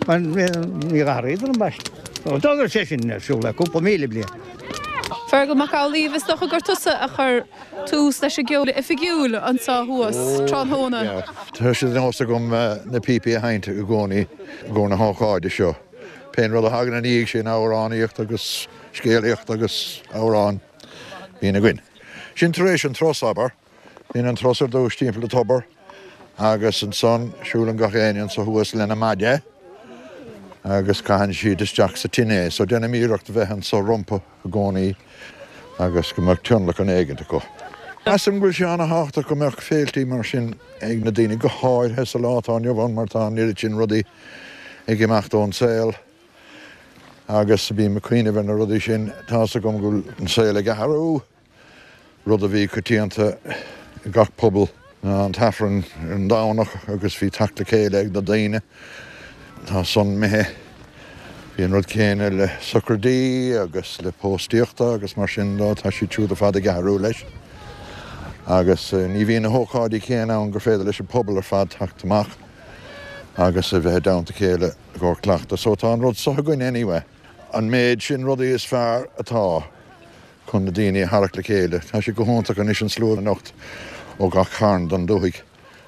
mar níor athraíodar ambaiste. D'fhógair sé sin ar siúl le cúpla míle bliain. Fergal Mac Amhlaoibh, is dócha gur tusa a chuir tús leis an gceol oifigiúil anseo thuas tráthnóna. Tá sé de nós agam na píopaí a sheinnt i gcónaí i gcomhair na hócáide seo. Pén rud a thagann ina dhiaidh sin, amhránaíocht agus scéalaíocht agus amhráin, bíonn againn. Sin tar éis an turas, abair. Bíonn an turas ar dtús timpeall an tobar agus ansan siúlann gach éinne anso thuas lena maide agus caitheann siad isteach sa tine é. So déanaim iarracht a bheith anso rompu i gcónaí agus go mbeadh tionlacan éigint acu. Measaim go bhfuil sé ana-thábhachtach go mbeadh féiltí mar sin ag na daoine, go háirithe sa lá atá inniu ann mar tá an oiread sin rudaí ag imeacht ón saol agus bím ag cuimhneamh ar na rudaí sin. Tá's agam go bhfuil an saol ag athrú. Rud a bhí coitianta i gach pobal ná an tAifreann ar an Domhnach agus bhí teacht le chéile ag na daoine. Tá san imithe. Bhí an rud céanna le socraidí agus le póstaíochta agus mar sin dó, tá siad siúd ar fad ag athrú leis. Agus ní bhíonn na hócáidí céanna ann gur féidir leis an pobal ar fad teacht amach agus a bheith i dteannta a chéile i gcomhair cleachtadh. So tá an rud so againn anyway. An méid sin rudaí is fearr atá chun na daoine a tharrac le chéile. Tá sé go hiontach anois an slua anocht ó gach cearn den dúthaigh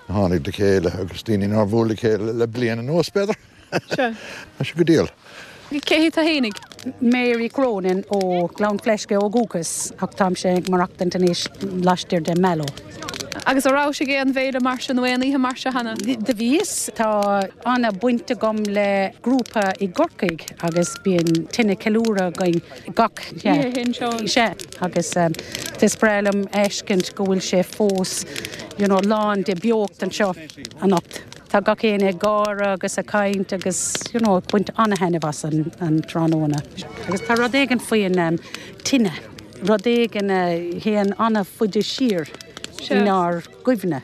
a tháinig le chéile agus daoine nár bhuail le chéile le bliain anuas, b'fhéidir. Tá sé go diail. Cé hí tú fhéinig? Mary Cronin ó Ghleann Fleisce ó dhúchas ach táimse ag maireachtaint anois laistiar de Mallow. Agus an rabhais ag aon bhféile mar seo nó aon oíche mar seo cheana? Do bhíos. Tá ana-bhaint agam le grúpa i gCorcaigh agus bíonn tine ceiliúradh againn gach oíche. Sea, agus is breá liom a fheiscint go bhfuil sé fós you know lán de beocht anseo anocht. Tá gach éinne ag gáire agus ag caint agus you know ag baint ana-thaitneamh as an tráthnóna. Agus tá rud éigin faoin tine, rud éigin a théann an-fhaide siar inár gcuimhne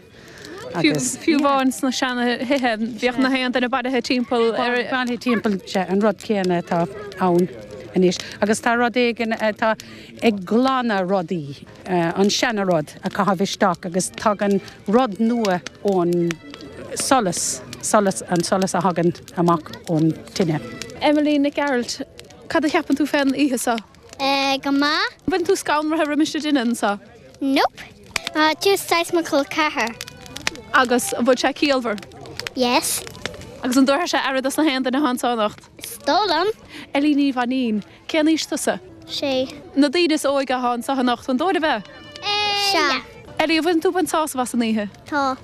agus. Fiú amháin sna seana-thithe, bhíodh na haon duine bailithe timpeall ar. Bailithe timpeall, sea, an rud céanna atá ann anois. Agus tá rud éigin atá ag glanadh rudaí, an seana-rud a chaitheamh isteach agus tagann rud nua ón solas, solas, an solas a thagann amach ón tine. Emily Nic Gearailt, cad a cheapann tú fén oíche seo? Eh, go maith. An bhfuil tú scanraithe roimis an dtine anso? Nope. Tá tú saghas mo chol ceathar. Agus an bhfuil sé ciallmhar? Yes. Agus an dtabharfaidh sé aire dos na haon duine atá anso anocht? Is dóigh liom. Ellie Ní Mhainín, cén aois tusa? Sé. Na daoine is óige atá anso anocht, an dóigh libh é? Eh, yeah. Ellie, an bhfuil tú ag baint sásamh as an oíche? Tá.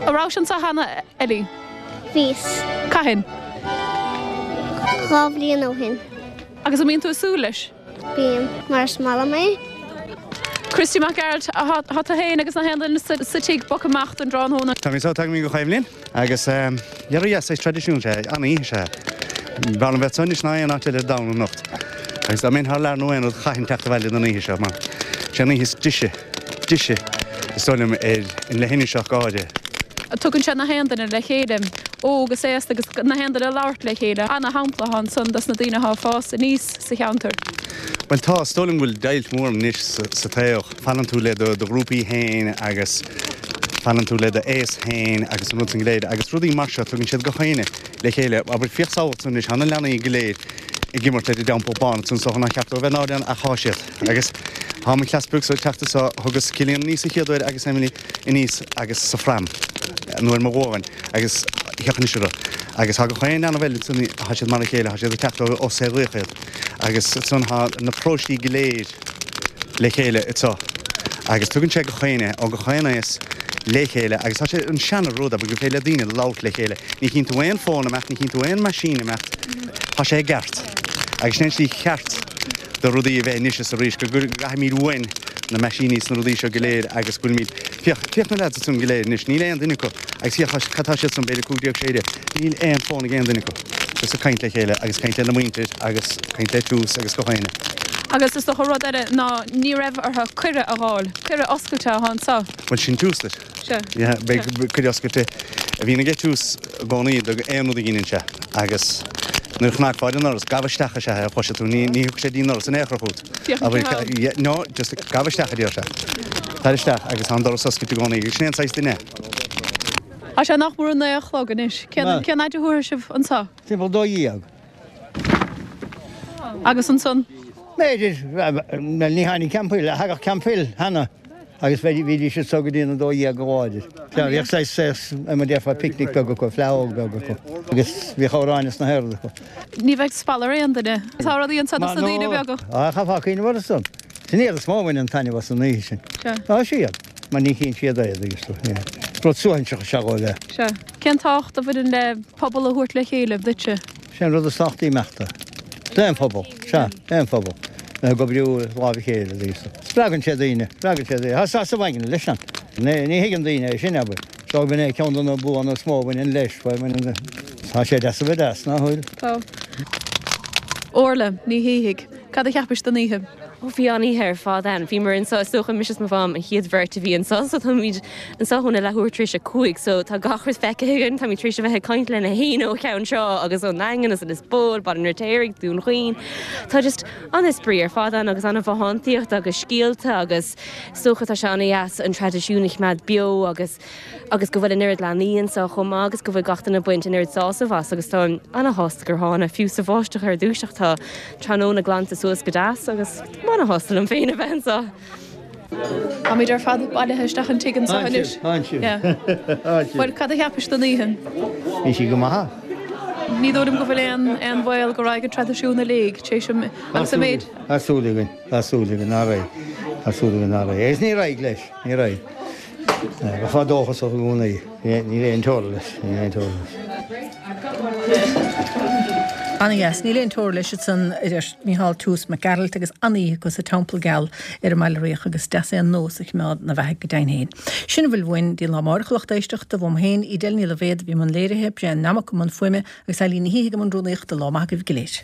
An rabhais anso cheana, Ellie? Bhíos. Cathain? 2 bhliain ó shin. Agus an mbíonn tú ag súil leis? Bím, mar is maith liom é. Christy Mac Gearailt, tá tú féin agus na haon duine sa tigh bogtha amach don dtráthnóna. Táimid anso, tagaimid gach aon bhliain agus dhera yeah, saghas traidisiún is ea é, an-oíche is ea é. B'fhearr liom bheith anso anois ná aon áit eile ar domhan anocht. Agus dá mbeinn thar lear nó aon rud chaithfinn teacht abhaile don oíche seo mar sé an oíche is deise, deise is dóigh liom ar an leithinis ach go háirithe. Tugann sé na haon duine le chéile, óg is aosta agus na haon duine ag labhairt le chéile. Ana-shampla atá ansan dos na daoine atá ag fás aníos sa cheantar. Bhuel tá, is dóigh liom go bhfuil deighilt mhór anois sa tsaol. Fanann tú le do ghrúpaí féin agus fanann tú le do aos féin agus an rud san go léir agus rudaí mar seo, tugann siad gach éinne le chéile. Abair, féach samhail ansan anois, tá na leanaí go léir ag imirt ar an dteampall bán ansan is dócha nár cheart dóibh a bheith náirithe ann ach thá siad. Agus thá mo chleas beag so ag teacht anso, thugas Cillian aníos an chéad uair agus Emily aníos agus sa phram nó ar mo ghualainn agus féach anois orthu. Agus thá gach aon leanbh eile ansan, thá siad mar a chéile, thá siad ag teacht ó saol laoch iad. Agus ansan thá na paróistí go léir le chéile anso agus tugann sé gach éinne ó gach aon aos. le chéile agus tá sé an seana rud abair gur féidir le daoine labhairt le chéile. Ní chíonn tú aon fón ag imeacht, ní chíonn tú aon machine ag imeacht. Tá sé i gceart. Agus sin é an tslí cheart do rudaí a bheith anois is arís, go gcaithfimid uainn na meaisíní is na rudaí seo go léir agus go bhfuilimid, féach, féach na leaids ansan go léir anois, níl aon duine acu agus féach cad tá siad san, b'fhéidir 15, 16, níl aon fón ag aon duine acu. Just ag caint le chéile agus caint lena muintir agus caint le Tús agus gach éinne. Agus is dócha rud eile ná ní raibh orthu cuireadh a dh'fháil, cuireadh oscailte atá anseo. Bhuel sin Tús duit. Sea. Yeah, beidh cuireadh oscailte a bhíonn aige Tús i gcónaí do aon rud a dheineann sé agus nuair a chnagfá ar an ndoras, gabh isteach is ea é a chloisfidh tú, ní ní thiocfaidh sé dtí an ndoras in aon chor chugat. Féach an Yeah, no, just gabh isteach a deir sé. Tar isteach agus tá an doras oscailte i gcónaí agus sin é an saghas duine é. Tá sé nach mór a naoi a chlog anois. Cén cén fhaid a thabharfaidh sibh anseo? Timpeall 12. Agus ansan? B'fhéidir, bhuel ní tháinig Camphill, thagadh Camphill cheana agus bhídís anso go dtí an 12 go láidir. Sea, bhíodh saghas, saghas, mar a déarfá, picnic beag acu, fleadh beag acu agus bhíodh amhráin is na haon rud acu. Ní bheidh spalla ar aon duine. Tá rudaí anso dos na daoine beaga. Á, chaithfeá cuimhneamh orthu san. Sin iad is mó a bhaineann taitneamh as an oíche sin. Sea. Á, siad. Mar ní chíonn siad é, agus tú, yeah. Rud suaithinseach is ea dhóibh é. Sea. Cén tábhacht a bhaineann le pobal a thabhairt le chéile duitse? Sé an rud is tábhachtaí imeachta. D'aon phobal. Sea, aon phobal. Bheith ag oibriú i láimh a chéile, agus spreagann sé daoine, spreagann sé daoine. Tá sásamh aigne leis an. Ní thuigeann daoine é sin, abair. So b'in é ceann de na buanna is mó a bhaineann leis. Baineann, tá sé deas a bheith deas, nach bhfuil? Tá. Orla Ní Shíthigh, cad a cheapais den oíche? Ó bhí an-oíche ar fad ann. Bhíomar anseo, is dócha, mise is mo mham an chéad bheirt a bhí anseo, so táimid anseo óna leathuair tar éis a 5, so tá gach rud feicthe againn. Táimid tar éis a bheith ag caint le na héinne ó Cheann Trá agus ón nDaingean agus Lios Póil, Baile an Fheirtéaraigh, Dún Chaoin. Tá just an-spraoi ar fad ann agus an-bhothántaíocht agus scéalta agus is dócha tá sé an-dheas an traidisiún a choimeád beo agus agus go bhfuil an oiread leanaí anseo chomh maith agus go bhfuil gach duine ag baint an oiread sásamh as agus táim ana-shásta gur thána, fiú sa bháisteach ar dtús ach tá tráthnóna glanta suas go deas agus táim ana-shásta liom féin a bheith anseo. Táimid ar fad bailithe isteach an tigh anseo anois. Tánn sibh, tánn sibh. Bhuel, cad a cheapais den oíche? Bhí sí go maith. Ní dóigh liom go bhfuil aon aon bhaol go raghaidh an traidisiún i léig tar éis an agus an méid. Tá súil againn, tá súil againn nach raghaidh, tá súil againn nach raghaidh. Agus ní raghaidh leis, ní raghaidh. Bheifeá dóchasach i gcónaí. Níl aon teora leis. Níl aon teora leis. Ana-dheas. Níl aon teora leis ansan, a deir Mícheál Toose Mac Gearailt agus an-oíche acu sa Teampall Geal ar an mBaile Riach agus is deas é an nós a choimeád 'na bheathaidh go deimhin féin. Sin a bhfuil uainn dtí an lá amárach a lucht éisteachta, uaim féin, Edel Ní Loibhéad a bhí i mbun léirithe, Brian Nammock i mbun fuaime agus Eileen Ní Shíthigh i mbun rúnaíochta. Lá maith agaibh go léir.